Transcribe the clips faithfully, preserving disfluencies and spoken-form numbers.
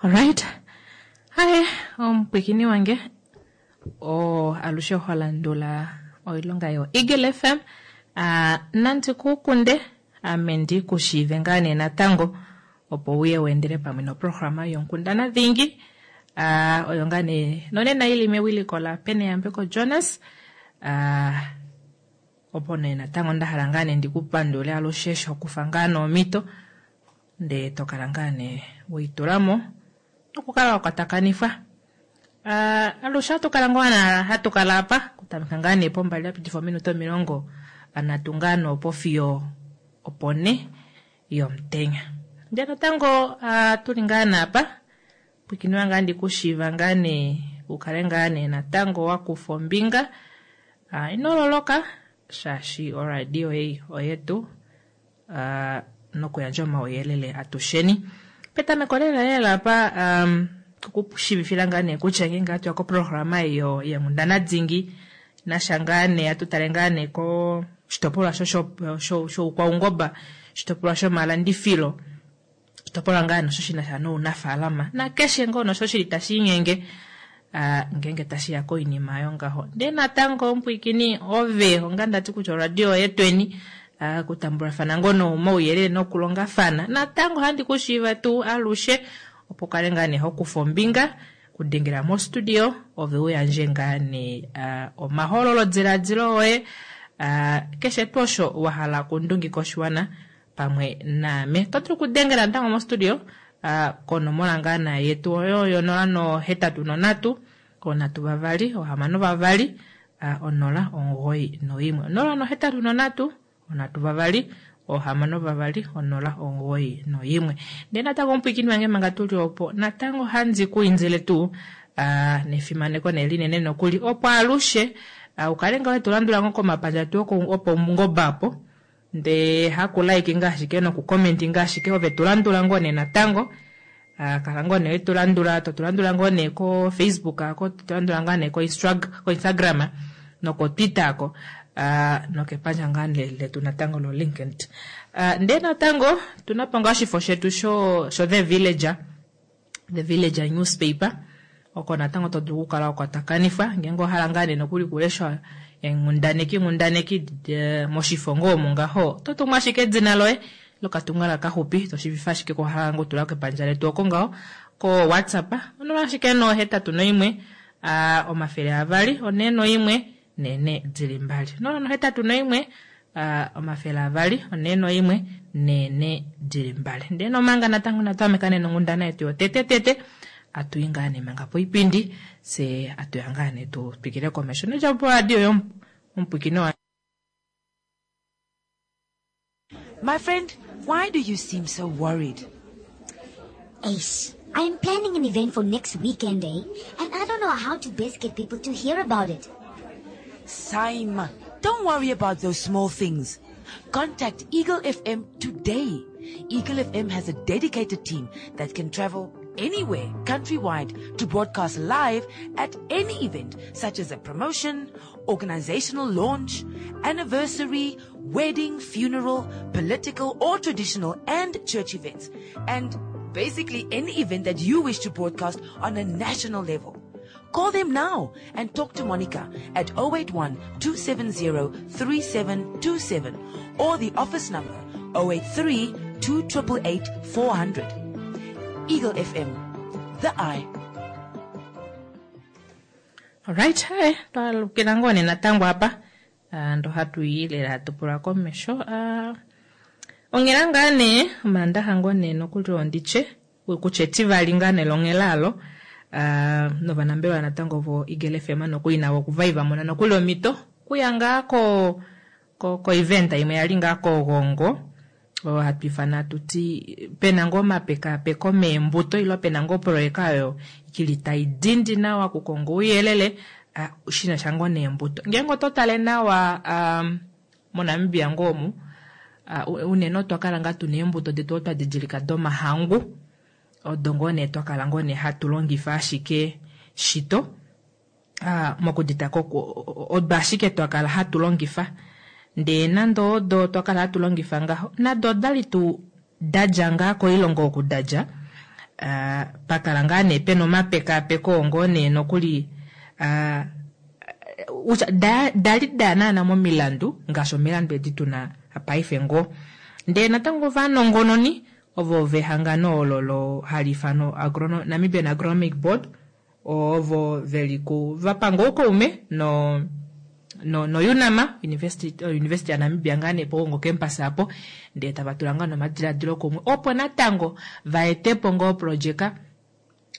Alright, haye omupwikini wange oo alushe ho landula oilonga yo Eagle F M, uh, nandi ku kunde ame ndi ku shiive ngaa nee natango opo uye weendele pamwe noprograma yonkundana dhingi, uh, oyo ngaa nee nonena ili mewiliko la Peneyambeko Jonas, uh, opo nee natango nda hala ngaa nee ndiku pandule alushe eshi hokufa ngaa noomhito ndee to kala ngaa nee weitulamo nokukala wa kwatakanifwa. Uh, alushe ohatu kala ngoo hatu kala apa kutameka ngaa nee pombali yapitifa ominute omilongo nhatu ngaa noopo fiyo opo ne yomutenya. Ndee natango uh, tuli ngaa naapa pwikinwa ngaa ndikushiiva ngaa nee ukale ngaa nee natango wakufa ombinga, uh, ino loloka shaashi oradio ei oyetu, uh, nokuyandja omauyelele atusheni. Petameko lela lela apa, um, okushivifila ngaa nee kutya ngeenge hatu ya koprograma eyo yeenghundana dingi nasha ngaa nee hatu tale ngaa nee koshitopolwa shoukwaungoba, oshitopolwa shomalandifilo, oshitopolwa ngaa nosho shi nasha nounafaalama nakeshe ngoo nosho shili tashi inyenge, uh, ngeenge tashi ya koinima yongaho. Ndee natango omupwikini ove onga ndati kutya oradio yetweni, uh, kutambulafana ngoo nomauyelele nokulongafana natango handi kushiiva tuu alushe opo kale ngaa nee hokufa ombinga kudengela mostudio ove uyandje ngaa nee, uh, omahololo diladilo oye, uh, keshe tuu osho wa hala okundungika oshiwana pamwe naame. Oto dulu okudengela natango mostudio, uh, konomola ngaa na yetu oyo yonola nohetatu nonhatu, onhatu vavali, ohamano vavali, uh, onola omugoyi noimwe. Onola nohetatu nonhatu, onhatu vavali, ohamano vavali, onola omugoyi noimwe. Ndee natango omupwikini wange manga tuli opo, natango handi ku indile tuu, uh, nefimaneko nelinene nokuli, opo alushe, uh, ukale ngaho to landula ngoo komapandja tu opo ngoba apo, ndee haku like ngaa ashike noku comment ngaa ashike, ove tu landula ngoo nee natango, uh, kala ngoo nee tu landula, to tu landula ngoo nee ko Facebook ako, to tu landula ngaa nee ko Instra-, ko Instagram noko Twitter ako, uh, nokepandja ngaa letu natango lo LinkedIn. Uh, ndee natango tuna po ngaa oshifo shetu sho, sho The Villager, The Villager newspaper, oko natango to dulu okukala wa kwatakanifwa ngeenge owa hala ngaa nee nokuli kulesha enghundaneki, nghundaneki, de, moshifo ngoo omo ngaho, to tumu ashike edina loye lokatumwalaka kaxupi, to shiivifa ashike ko hala ngoo tula kepandja letu oko ngaho ko WhatsApp, onola ashike nohetatu noimwe, a, omafele avali, onhe noimwe, nene dili mbali. Onola nohetatu noimwe, a, omafele avali, onhe noimwe, nene dili mbali. Ndee nomanga natango natwameka nee nonghundana yetu yotete tete, atuyi ngaa nee manga poipindi, se atuya ngaa nee tu twikile komesho. Nodja po radio yomupwikino wa My friend, why do you seem so worried? Ace, I am planning an event for next weekend, eh? And I don't know how to best get people to hear about it. Saima, don't worry about those small things. Contact Eagle F M today. Eagle F M has a dedicated team that can travel anywhere countrywide to broadcast live at any event, such as a promotion, organizational launch, anniversary, wedding, funeral, political or traditional and church events, and basically any event that you wish to broadcast on a national level. Call them now and talk to Monica at oh eight one, two seven zero, three seven two seven or the office number oh eight three, two triple eight, four hundred. Eagle F M, the eye. All right, hey, twalukila ngoo nee natango apa. Ah, ndo hatu i lela hatu pula komesho. Ah, onghela ngaa nee, omaandaxa ngoo nee nokuli onditye, kutya etivali ngaa nee longhela alo. Ah, novanambelewa natango vo Eagle F M nokuli navo okuva va mona nokuli omhito kuya ngaa ko, ko, ko event imwe yali ngaa kOgongo, oyo hatu ifana tuti pena ngoo omapekapeko meembuto ile pena ngoo oproyeka oyo ikili tai dindi nawa okukonga ouyelele, ah, shina sha ngoo neembuto. Ngeenge oto tale nawa, um, moNamibia ngoo omu, ah, unene otwa kala ngaa tuna eembuto detu odo twa didilika domahangu, odo ngoo nee twa kala ngoo nee hatu longifa ashike shito, ah, mokudita ko, odo ashike twa kala hatu longifa. Ndee nande odo twa kala hatu longifa ngaho, nado odali tuu dadja ngaa koilongo oku dadja, Uh, pakala ngaa nee pena omapekaapeko ngoo nee nokuli uh, da, dali da naana momilandu ngaashi omilandu edi tuna paife ngoo. Ndee natango ovanongononi ovo vehangano olo lo hali ifanwa Agrono, Namibian Agronomic Board ovo veli ku vapanga oukaume no no no UNAMA University University ya Namibia ngaa nee pOgongo campus apo, ndee tava tula ngaa nomadiladilo kumwe opo natango vaetepo ngoo oprojeka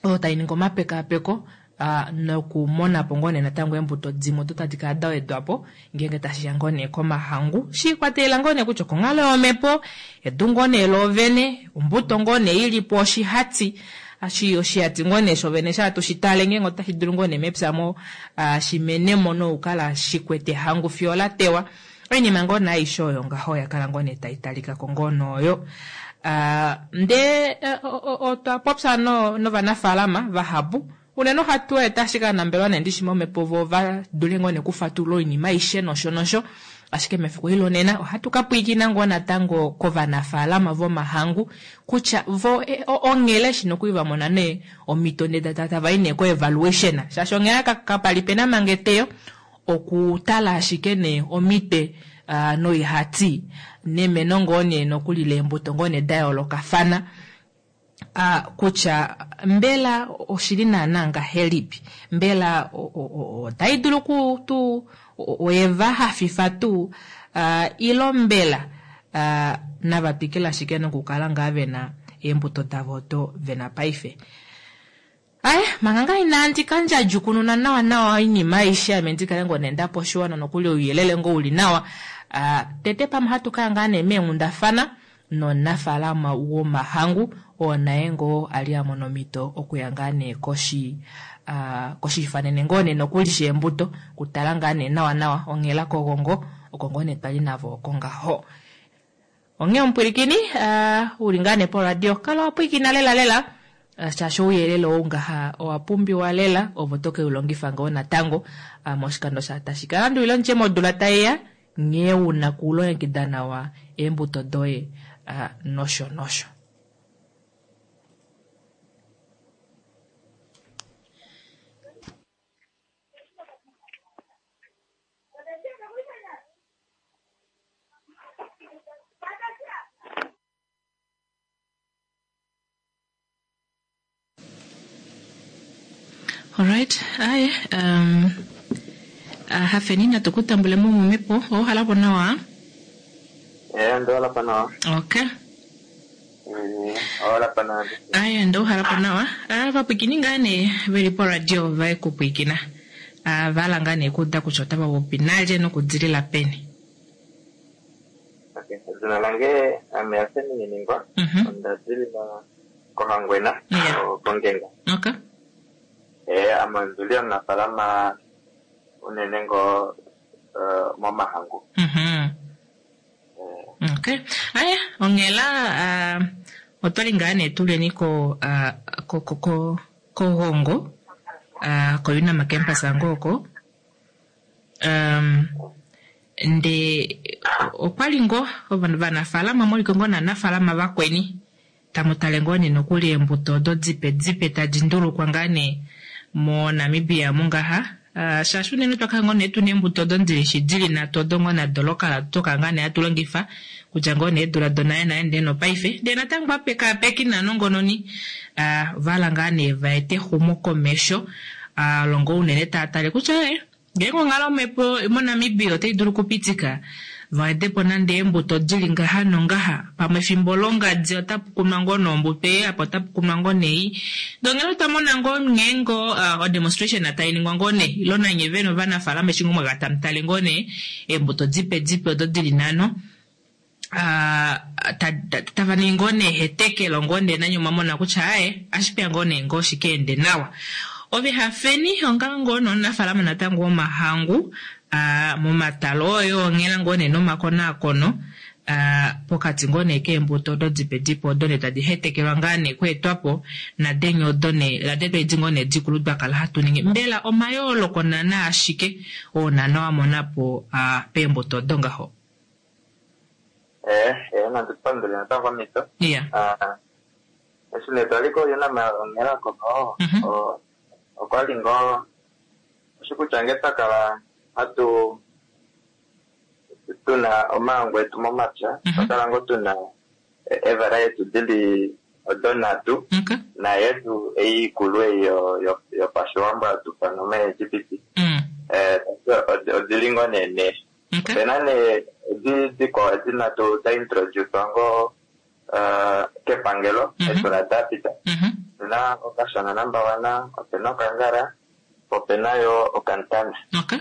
oyo tai ningi omapekaapeko uh, nokumona po ngoo nee natango eembuto dimwe odo tadi kala da wedwa po ngeenge tashiya ngoo nee komahangu, shiikwatelela ngoo nee kutya okonghalo yomhepo, edu ngoo nee loovene, ombuto ngoo nee ilipo oshihati ashi oshihati ngoo nee shovene sha tushitale ngeenge otashi dulu ngoo nee mepya mo uh, shimenemo nokukala shikwete hangu fiyo la tewa. Oinima ngoo nee aishe oyo ngaho yakala ngoo nee taitalikako ngoo nooyo. Uh, ndee uh, otwa popya no, novanafaalama vahapu unene ohatu eta ashike anambelewa nee ndishi momhepo vo va dule ngoo nee kufatulula oinima aishe nosho nosho, ashike mefiku eli lonena ohatu ka pwiikina ngoo natango kovanafaalama vomahangu kutya vo e, onghele eshi nokuli va mona nee omhito ndee tava i nee ko evaluation, shaashi onghela kapali pena manga eteyo okutala ashike nee omitwe uh, noihati nemeno ngoo nee nokuli leembuto ngoo nee da yoolokafana uh, kutya mbela oshili naana ngahelipi, mbela otai dulu ku oyeva hafifa tuu uh, ilo mbela uh, nava twikile ashike nokukala ngaa vena eembuto davo odo vena paife. Aye, manga ngaa inandi ka ndjadjukununa nawa nawa oinima aishe ame ndikale ngoo nee ndapo oshiwana nokuli ouyelele ngoo uli nawa. Uh, tete pamwe ohatu kaya ngaa nee meenghundafana nomunafaalama womahangu oo naye ngoo ali a mona omhito okuya ngaa nee koshi uh, koshifanene ngoo nee nokuli sheembuto kutala ngaa nee nawa nawa onghela kOgongo oko ngoo nee twali navo oko ngaho. Onghee omupwilikini uh, uli ngaa nee poradio kala wapwilikina lela lela uh, shaashi ouyelele ou ngaha owa pumbiwa lela ovo toke ulongifa ngoo natango uh, moshikando sha tashi ka landulila ndje modula taiya nghee una kulongekida nawa eembuto doye uh, nosho nosho. Alright, aye, um, uh, hafeni natukutambule mo momhepo, ouhalapo nawa? Eh, ndouhalapo nawa. Okay. Mm, ouhalapo nawa. Aye, ndouhalapo nawa. Ah, vapwikini ngaa nee veli poradio vaye kupwikina. Ah, vala ngaa nee kuuda kutya otava popi nalye nokudilila peni. Okay, edina lange ame Hafeni Nyeningwa. Mhm. Onda dilila kOhangwena, Yeah. kOngenga. Okay. Eh, ame ondili omunafaalama unene ngoo uh, momahangu. Mhm. Eh, Okay. Aya, onghela uh, otwali ngaa nee tuleni ko uh, ko ko ko kOgongo uh, ko UNAMA campus ango oko. Um, nde okwali ngoo ovanafaalama moliko ngoo naanafaalama vakweni tamu tale ngoo nee nokuli eembuto odo dipe dipe tadi ndulukwa ngaa nee mo Namibia mungaha. Uh, shaashi unene twakala ngoo nee tuna eembuto odo ndilishi dili nhatu odo ngoo nado lokala toka ngaa nee hatu longifa kutya ngoo nee eedula donale nale ndee nopaife ndee natango apekaapeki naanongononi uh, vala ngaa nee vaete exumokomesho uh, longo unene taa tale kutya eh, ngeenge onghalo yomhepo moNamibia otai dulu okupitika vaetepo nande eembuto dili ngaha nongaha pamwe efimbo longadi otapu kunwa ngoo nombuto ei apa otapu kunwa ngoo nei ndongele otwa mona ngoo nghee ngoo uh, odemonstration tai ningwa ngoo nee ilo nanye vene ovanafaalama eshi ngoo mwaka tamutale ngoo nee eembuto dipe dipe odo dili nhano uh, tava ningi ngoo nee hetekelo ngoo nee nanye omwamona kutya aye ashipeya ngoo nee ngoo shikeende nawa. Ove hafeni onga ngoo nomunafaalama natango womahangu uh, momatalo oyo onghela ngoo nee nomakonaakono uh, pokati ngoo nee keembuto odo dipe dipe odo nee tadi hetekelwa ngaa nee kweetwapo nadenye odo nee nade twedi ngoo nee dikulu twakala hatu ningi mbela omayooloko naana ashike oo naana wa monapo uh, peembuto odo ngaho. Eh, eh, nandipandule natango omhito. Yeah. Ah, Eshi nee twali koUNAM onghela ko Mhm. o- okwali ngoo oshikutya nge twa kala hatu tuna omahangu etu momapya Mhm. twa kala ngoo tuna evaraeti dili odo nhatu Okay. nayetu ei ikulu ei yo- yo- yopashiwambo hatu fana omaEgipiti Mm. Eh, odi- odili ngoo nee nee Okay. opena nee edi dikwao edi nhatu da introducwa ngoo eh, kepangelo Mhm. eedula dapita Mhm. opena okashana number one opena okangala opena yo okantana Okay.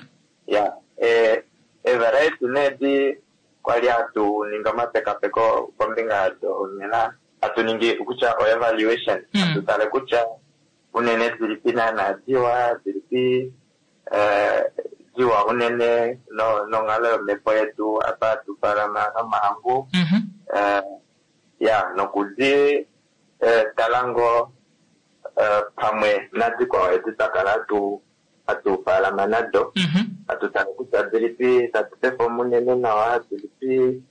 ya eh, evaraeti nee di kwali hatu ningi omapekapeko kombinga yado nena hatu ningi kutya o evaluation Mm. hatu tale kutya unene dilipi naana diwa dilipi eh, diwa unene no- nonghalo yomhepo yetu apa hatu falama nomahangu Mhm. eh, ya nokudi eh, tala ngoo eh, pamwe nadikwao edi twa kala hatu hatu faalama nado Mhm. hatu tala kutya dilipi tatu perform unene nawa dilipi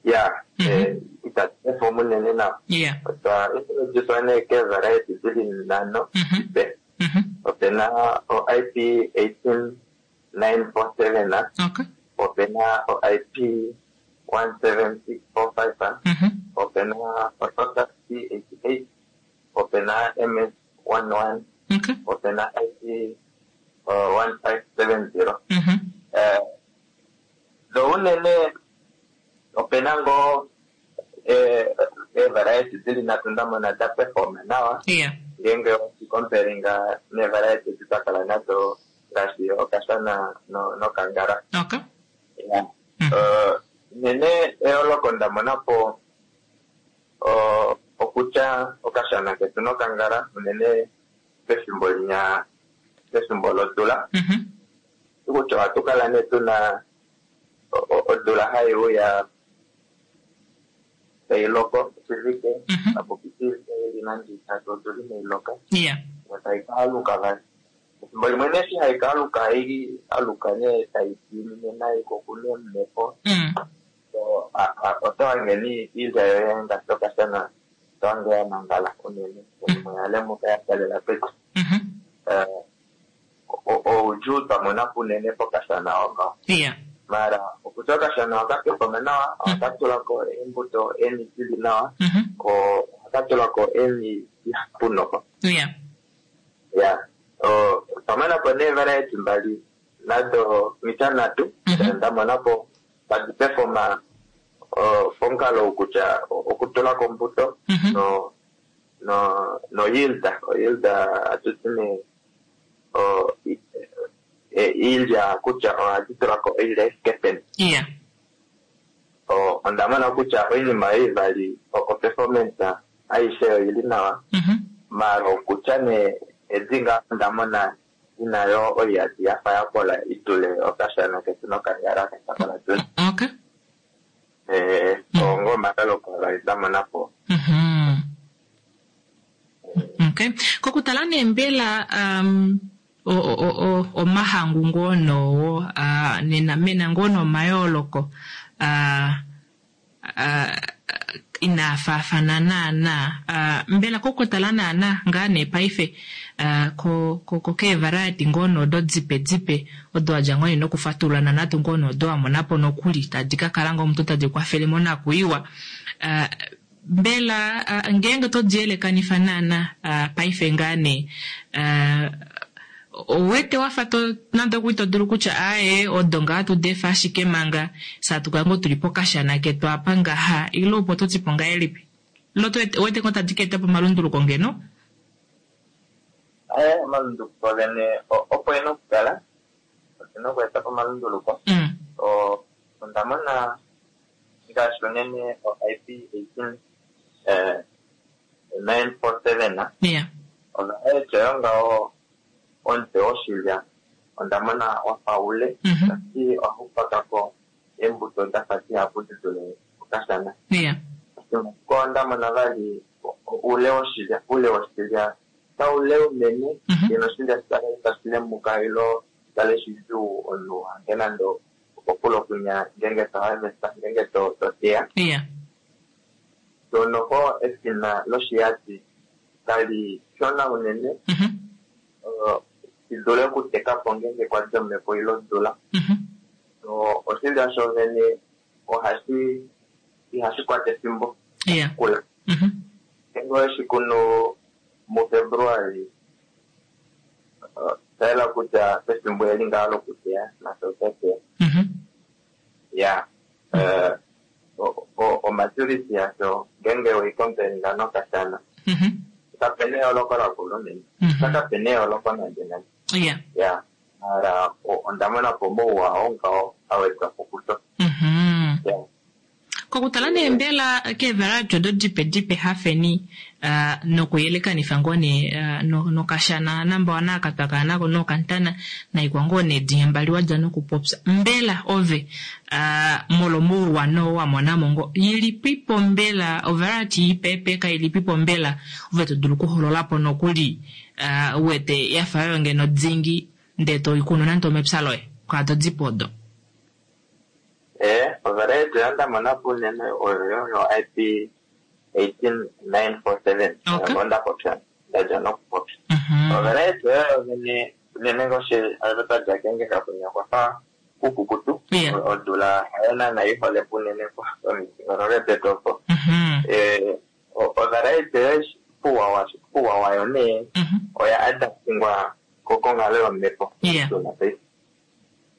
ya Mhm. eh, itatu perform unene nawa Yeah. otwa introducwa nee keevariety dili nhano Mhm. dipe Mhm. opena o ip eighteen nine four seven Okay. opena o ip one seven six four five Mhm. opena o total c eighty eight opena ms one one Okay. opena ip one five seven zero Mhm. Eh, do unene opena ngoo eh, eevariety dili nhatu ndamona da performa nawa Yeah. ngeenge oshikomperinga neevariety edi twa kala nado ngaashi okashana no- nokangala Okay. Ya. Mm. Eh, unene eyooloko ndamona po o- okutya okashana ketu nokangala unene pefimbo linya pefimbo lodula Mhm. kutya ohatu kala nee tuna o- o- odula hai uya tai loko oshivike Mhm. apo pitilile ili nande itatu odula inai loka Yeah. tai kaaluka vali efimbo limwe nee eshi hai kaaluka hai aluka nee tai diinine nai ko kune omhepo Mm. so a- a- oto hange ni iilya yoye ngaashi okashana oto hange ya nangala unene imwe ya lemuka ya kalela pedu Mhm. Eh, o- oudjuu twa mona po unene pokashana oko Yeah. mara okutya okashana ohaka performa nawa ohaka tulako eembuto eeni dili nawa Mhm. ko ohaka tulako eeni dihapu noko Yeah. ya O- otwa mona po nee variety mbali nado mita nhatu Mhm. nda mona po tadi performa o, pomukalo kutya okutulako ombuto Mhm. no no no yield o yield hatuti nee o i- e- iilya kutya ohadi tulako oilya ifike peni Yeah. O- onda mona kutya oinima oyo ivali o- o performance aishe oili nawa Mhm. mara okutya nee edi ngaa onda mona ina yo oiyadi yafa yakola idule okashana ketu nokangala kakakala tuna Okay. eh ongo omataloko avali ndamona po Mhm. Okay. Kokutala nee mbela um, o, o, o, omahangu ngoo noowo uh, nena mena ngoo nomayooloko uh, uh, inaa faafana naana uh, mbela kokutala naana ngaa nee paife uh, ko, ko, ko keevariety ngoo noodo dipe dipe odo wadja ngoo nee nokufatulula natu ngoo noodo wamona po nokuli tadi ka kala ngoo omuntu tadi kwafele monakuyiwa uh, mbela uh, ngeenge to diyelekanifa naana uh, paife ngaa nee uh, owete wafa to nande okuli to dulu kutya aaye odo ngaa tu defa ashike manga saatu kala ngoo tuli pokashana ketu apa ngaha ile opo to tipo ngahelipi ilo to wete ngoo tadi ka eta po omalunduluko ngeno aye omalunduluko vene o- opo ena okukala otuna okweeta po omalunduluko mm. O- onda mona ngaashi unene o ip eighteen nine four seven yeah ovariety oyo ngaho omutwe woshilya onda mona wafa ule Mhm. tati ohau pakako eembuto dafa dihapu di dule okashana yeah ko onda mona vali o- o- ule woshilya ule woshilya kaule unene Mhm. ngeno oshilya shikale tashi lemuka ilo shikale shidjuu omunhu hange nande okokule okunya ngeenge to harvesta ngeenge to to teya yeah to noko efina loshiyadi Kali shona unene, Mhm. eh, shi dule okuteka po ngeenge kwadi omhepo ile odula. Mhm. So, oshilya shovene ohashi ihashi kwata efimbo Yeah. kula. Mhm. Ngeenge oweshi kunu muFebruali, eh, osha yela kutya pefimbo eli ngaho lokuteya nasho otateya. Mhm. Ya, eh, o- o- omaturity yasho ngeenge weikompelinga nokashana, Mhm. kapena eyooloko lakula unene. Mhm. Kapena eyooloko nande nande. Yeah. Ya, mara o- onda mona po mouwa oo ngaho awedwa po kusho. Mhm. Ya. Kokutala nee mbela keevaradio odo dipe dipe hafeni uh, nokuyelekanifa ngoo nee uh, no, nokashana nambawana aka twakala nako nokantana naikwa ngoo nee dinya mbali wadja nokupopya mbela ove uh, molwomouwa noo wamonamo ngo ilipipo mbela ovariety ipeepeka ilipipo mbela ove to dulu okuhololapo nokuli uh, uwete yafa yoyo ngeno dingi ndee toikunu nande omepya loye kwaado dipo odo. Eh, ovariety oyo nda mona po unene oyo yo I P eighteen nine four seven. Okay. Oyo nda popya, ndadja nokupopya. Mhm. Ovariety oyo unene, unene ngaashi twadja kenge kakunya kwafa kukukutu. Yeah. Odula hayo naana ihole po unene pomidingonoko detu opo. Mhm. Eh, ovariety oyo puwa puwa wayo nee Mhm. oya adaptingwa konghalo yomhepo. Yeah. Odula paife.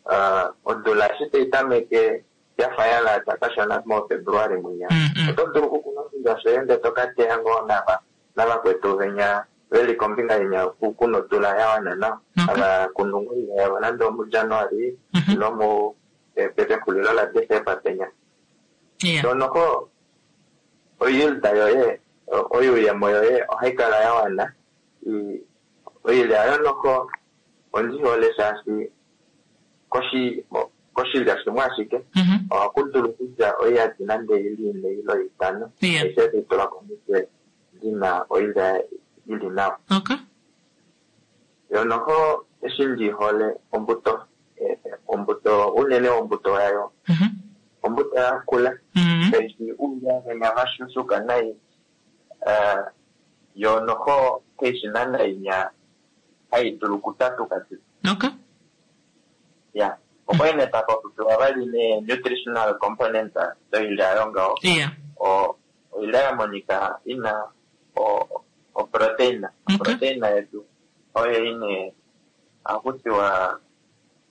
Uh, odula eshi tai tameke yafa ya lata kashona muFebruali mwinya. Mm, mm. Oto dulu okukuna oshilya shoye ndele to ka teya ngoo nava navakwetu venya veli kombinga inya kuna odula ya wana nawa. Okay. Hava kunu ngoo oilya yavo nande omuJanuali Mhm. ile mu pexulilo laDesemba penya. Yeah. So noho oyield yoye oyuuyemo yoye ohai kala ya wana. Oilya yo noho ondihole shaashi koshi koshilya shimwe ashike Mhm. ohaku dulu kudja oiyadi nande ili ine ile itano. Yeah. Aishe tai tulwa komutwe dina oilya ili nawa. Okay. Yo noho eshi ndihole ombuto, ombuto unene ombuto yayo. Mhm. Ombuto yakula. Mhm. Kaishi uulya venya vashushuka nai. Eh, yo noho kaishi naana inya hai dulu okutatuka tu. Okay. Ya. Opo ine tapopiwa vali ne nutritional component doilya yo ngaho. Yeah. O oilya ya monika ina o o protein. Okay. Protein yetu oyo ine akutiwa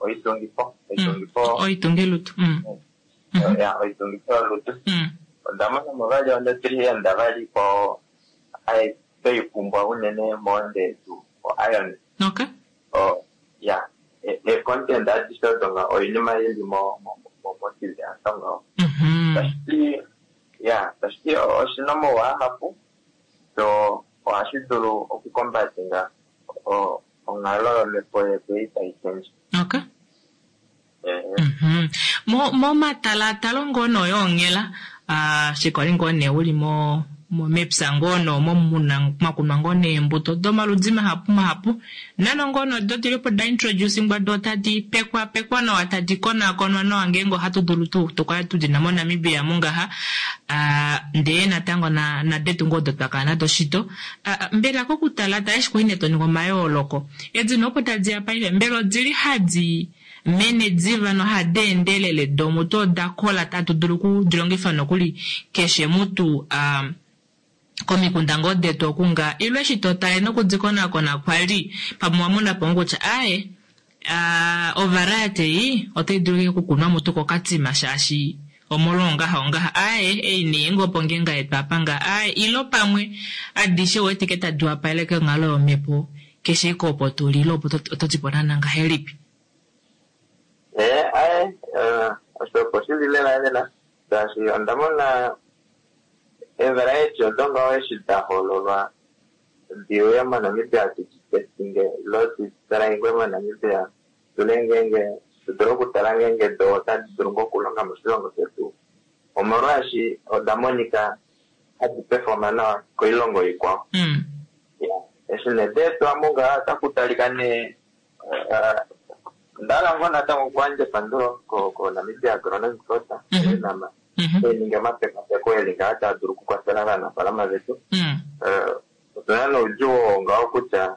oitungifo, oitungifo. Oitungelutu. Mm. Mhm. Ya, oitungifo yolutu. Mm. Onda mona mo vali onutrient vali ko ai toipumbwa unene moonde yetu o iron. Okay. O ya, e content adishe odo nga oinima ili mo mo mo moshilya ngaho. Mhm. Tashiti ya, tashiti oshina omauwa ahapu. So ohashi dulu okukombatinga o onghalo yomhepo yetu ei tai change. Okay. Eh, Mhm. Mo momatalatalo ngoo noyoonghela ah shikwali ngoo nee uli mo mepya ngoo noomo muna mwakunwa ngoo neembuto domaludi mahapu mahapu nano ngoo nodo dilipo da introducingwa do tadi pekwa pekwa nawa tadi konakonwa nawa ngeenge ohatu dulu tuu tukale tudina moNamibia mungaha ah ndee natango na nadetu ngoo odo twakala nado shito. Ah, mbela kokutala tala eshi kwali nee toninga omayooloko edi nopo tadiya paife mbela odili hadi mene diva nohadi endelele domutu oda kola tatu dulu okudilongifa nokuli keshe mutu ah, komikunda ngoo detu okunga ilwe eshi totale nokudikonakona kwali pamwe wamona po kutya aye uh, ovariety ei otai dulu okukunwa mutu kokatima shaashi omolwo ongaha ongaha aye ei nee ngoo opo ngeenge yetu apa nga aye ilo pamwe adishe wetike tadi wapaleke onghalo yomhepo keshe iko opo tuli ilo opo oto ti po naana ngahelipi. Eh, aye, osho opo shili lela lela shaashi onda mona evariety odo ngaho eshi da hololwa diuye moNamibia tuditestinge ilo ditalaingwe moNamibia tule ngeenge tudule okutala ngeenge do otadi dulu ngoo okulonga moshilongo shetu omolwaashi oda monika hadi performa nawa koilongo ikwao. Mm. Eshi nee deetwa mungaha otaku talika nee ndahala ngoo natango okuyandja epandulo koNamibia Agronomic Board Mhm. nama Mhm. eninga omapekapeko eli ngaa taa dulu okukwafela ovanafaalama vetu. Mm. Eh, Otuna noudjuu oo ngaho kutya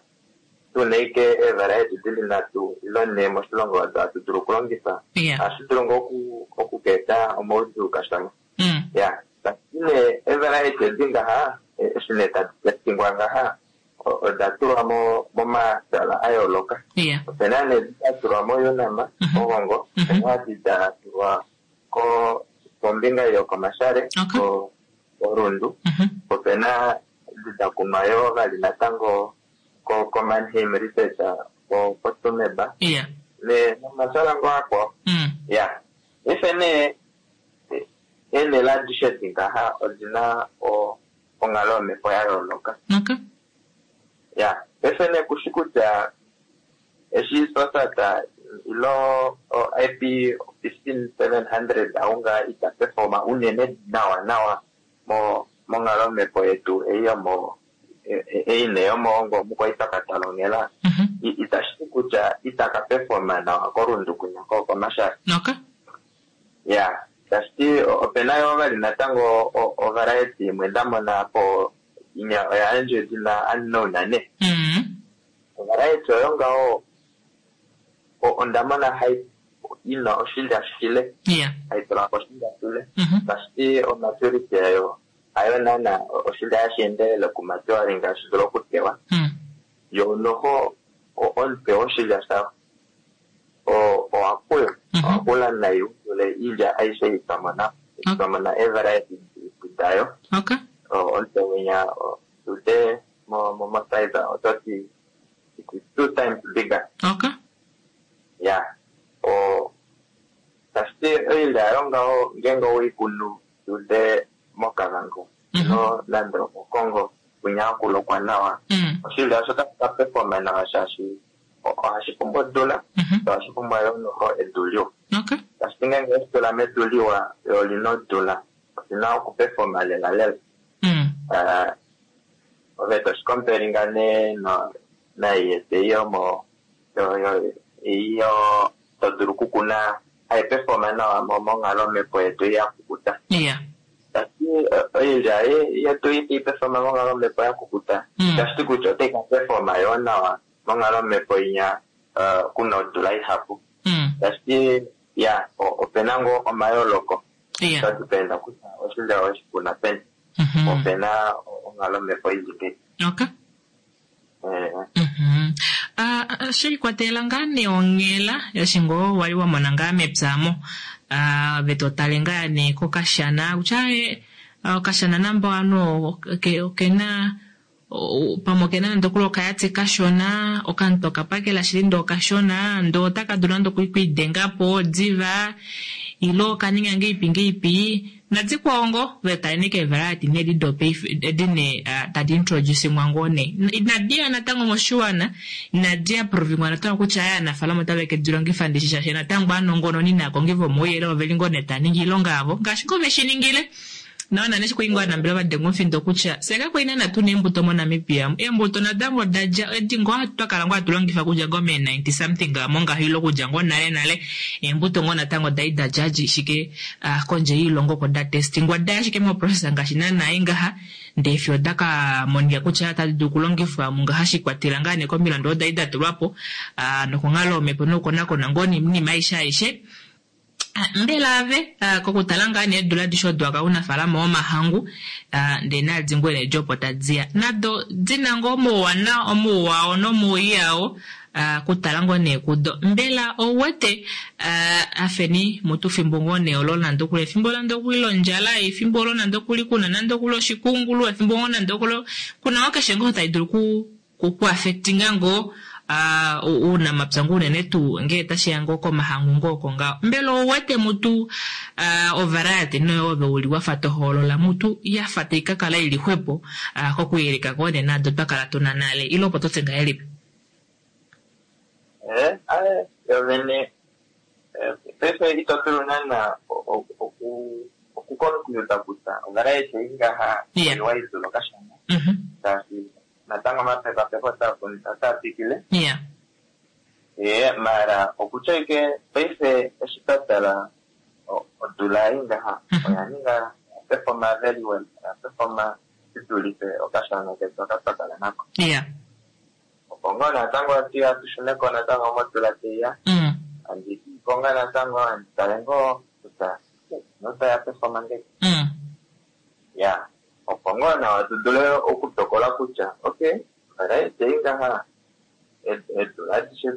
tuna ike eevariety dili nhatu ile nhee moshilongo odo hatu dulu okulongifa. Yeah. Ohashi dulu ngoo oku- okukeeta omaudjuu kashona. Mm. Ya, tashiti nee eevariety edi ngaha, e- eshi nee tadi testingwa ngaha, o- oda tulwa mo- momatala a yooloka. Yeah. Opena nee edi da tulwa moUNAM, Mhm. kOgongo, Mhm. opena edi da tulwa ko- kombinga yokoMashare, Okay. ko- koRundu. Mhm. Opena edi da kunwa yoo vali natango ko- koMannheim Research, ko- koTsumeb, Yeah. ne nomatala ngoo akwao. Mm. Ya, paife nee eenhele adishe edi ngaha odina o- onghalo yomhepo ya yooloka. Okay. Ya, paife nee kushi kutya eshi Sosat ilo o I P fifteen seven hundred aunga ita performa unene nawa nawa mo monghalo yomhepo yetu ei yomo e- e- ei nee yomoongo mukwaitakatalongela Mhm. itashi ti kutya itaka performa nawa koRundu kunya ko koMashare. Okay. Ya, tashiti opena yoo vali natango o- ovariety imwe nda mona po inya oya yandjwa edina unknown ne. Mm. Ovariety oyo ngaho o- onda mona hai ina oshilya shile, Yeah. hai tula ko oshilya shile. Mhm. Tashiti omaturity yayo hayo naana oshilya hashi endelele okumaturing ngaashi dulu okutewa. Mm. Yo noho o- omutwe woshilya shayo o- owakula. Mhm. Owakula nai u dule iilya aishe ei twa mona. Okay. Twa mona eevariety dayo. Okay. O- omutwe winya o- ude mo- mo- mo size ototi it is two times bigger. Okay. Yeah. O tashiti oilya yayo ngaho ngeenge oweikunu ude moKavango Mhm. no nande omoKongo kwinya hakulokwa nawa. Mm. Oshilya osho otashi ka performa nawa shaashi o- ohashi pumbwa odula, Mhm. ohashi pumbwa yoo noho edu liwa. Okay. Tashiti ngeenge oweshi tula medu liwa yo olina odula, olina okuperforma lela lela. Mm. Eh, ove toshi comparinga nee no- nai yetu ei yomo yo- yo- ei yo to dulu okukuna hai performa nawa mo- monghalo yomhepo yetu ei ya kukuta. Yeah. Tashiti oilya ye- yetu itai performa monghalo yomhepo ya kukuta. Mm. Tashiti kutya otai ka performa yoo nawa monghalo yomhepo inya eh, kuna odula ihapu. Mm. Tashiti ya o- opena ngoo omayooloko. Yeah. Sha dependa kutya oshilya oweshi kuna peni. Mhm. Opena onghalo yomhepo ili peni. Okay. Eh, Mhm. Ah, ah, shelikwatelela ngaa nee onghela eshi ngoo wali wa mona ngaa mepya mo. Ah, ove to tale ngaa nee kokashana kutya eh, okashana namba ovanhu oke- okena o- pamwe okena nande okuli okayati kashona, okanhu okapakela shili ndee okashona, ndee otaka dulu nande okwiidengapo diva, ile okaninga ngeipi ngeipi, nadikwao ngoo ove tale nee keevariety nee edi dopaife edi nee ah, tadi introducingwa ngoo nee. Inadi ya natango moshiwana, inadi approvingwa natango kutya aya aanafaalama otave ke di longifa ndishi shaashi natango aanongononi naakongi vomauyelele oveli ngoo nee tava ningi oilonga yavo ngaashi ngoo veshi ningile. Naona neshi kwali ngoo aanambelewa vadenga omufindo kutya fye kakwali naana tuna eembuto moNamibia. Eembuto natango oda dja edi ngoo twa kala ngoo hatu longifa okudja ngoo mee ninety something mongaho ile okudja ngoo nale nale. Eembuto ngoo natango dali da dja ashike, ah, kondje yoilongo oko da testingwa daya ashike moprocess ngaashi naana ei ngaha, ndee fiyo oda ka monika kutya otadi dulu okulongifwa mungaha shikwatela ngaa nee komilandu odo dali da tulwa po, ah, nokonghalo yomhepo nokukonakona ngoo noinima aishe aishe. Ah, mbela ave, ah, kokutala ngaa nee eedula adishe odo waka unafaalama womahangu, ah, ndee nadi ngoo nee edi opo tadiya. Nado dina ngoo omauwanawa, omauwa ao nomauwii ao, ah, kutala ngoo nee kudo. Mbela ouwete, ah, afeni mutu fimbo ngoo nee olo nande okuli efimbo nande okuli londjala, efimbo olo nande okuli kuna nande okuli oshikungulu, efimbo ngoo nande okuli kuna ngoo keshe ngoo tai dulu ku, ku, ku affectinga ngoo, ah, uunamapya ngoo unene tuu ngee tashiya ngoo komahangu ngoo oko ngaho. Mbela ouwete mutu, ah, ovariety noyo ove uli wafa tohoolola mutu yafa tai ka kala ili xwepo, ah, kokuyeleka ngoo nee nado twa kala tuna nale, ile opo totye ngahelipi? Eh, aye, yo vene, eh, paife ito dulu naana o-, o-, oku-, okuconclude kutya ovariety ei ngaha Yeah. oiwa idulu okashona. Mhm. Shaashi natango omapekapeko otaa otaa twikile. Yeah. Eh, mara okutya ike paife eshi twa tala o-, odula ei ngaha, Mhm. oya ninga, oya performa very well, oya performa shi dulife okashana ketu aka twa kala nako. Yeah. Opo ngoo natango ati hatu shuneko natango modula teiya, Mm. andi konga natango andi tale ngoo kutya notaya performa ngeke. Mm. Ya, opo ngoo nawa tu dule okutokola kutya okay, variety ei ngaha ed- eedula adishe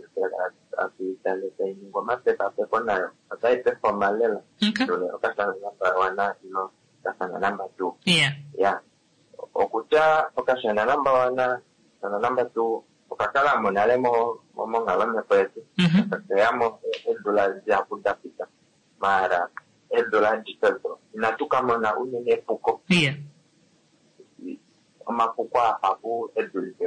hatu itale tai ningwa omapekapeko nayo otai performa lela Okay. dule okashana number one ilo okashana number two. Yeah. Ya, okutya okashana number one, okashana number two okakala mo nale mo mo- monghalomepo yetu. Mhm. Okeyamo eedula dihapu da pita, maara eedula adishe odo inatu ka mona unene epuko. Yeah. Omapuko ahapu edulife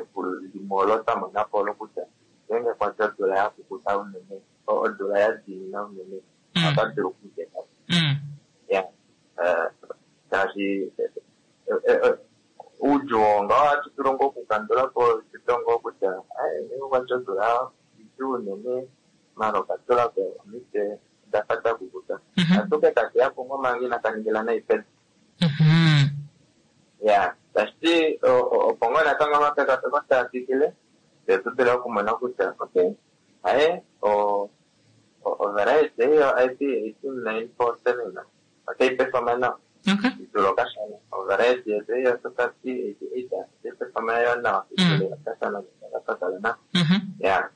limwe olo twa mona po olo kutya ngeenge kwati odula ya kukuta unene, o- odula ya diinina unene, Mm. ota dulu okuteka. Mm. Ya, eh, shaashi eh, eh, eh, oudjuu oo ngaho ohatu dulu ngoo okukandula po tuto ngoo kutya ai, ngeenge okwati odula idjuu unene, maala okatula ko omitwe dafa da kukuta. Mhm. Atuke kakeyapo ngoo manga inaka ningila nai pedu. Mhm. Ya, tashiti o- o- opo ngoo natango omapekapeko taa twikile, fye tu dule okumona kutya okay, aye o o- ovariety ei yo I P eighteen nine four seven otai performa nawa Okay. idule okashana. Ovariety yetu ei yo Super T eighty eight otai performa yo nawa idule okashana kakakala nako. Mhm. Ya,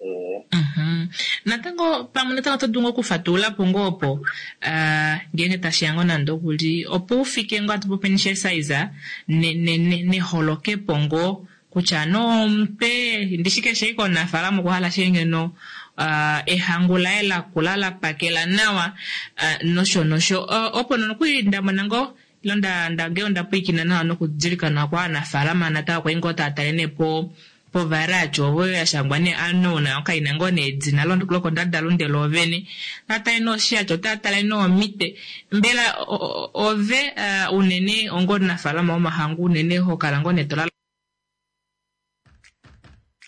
eh, Mhm. Natango pamwe natango oto dulu ngoo okufatulula po ngoo opo ah, ngeenge tashiya ngoo nande okuli opo ufike ngoo atu popeni size ne, ne, ne, neholokepo ngoo kutya no omutwe ndishi keshe ike omunafaalama okwa hala ashike ngeno ah, ehangu laye lakula la pakela nawa ah, nosho nosho Ah, opo nokuli ndamona ngoo ilo nda nda ngee onda pwiikina nawa nokudilika nawa kwa aanafaalama natango kwali ngoo tava tale nee po povariety ovo ya shangwa nee unknown okaina ngoo nee edina lo- lokondadalunde loovene otava tale nee oshiyacho otava tale nee omitwe mbela o- o- ove ah, unene onga omunafaalama womahangu unene ho kala ngoo nee to lala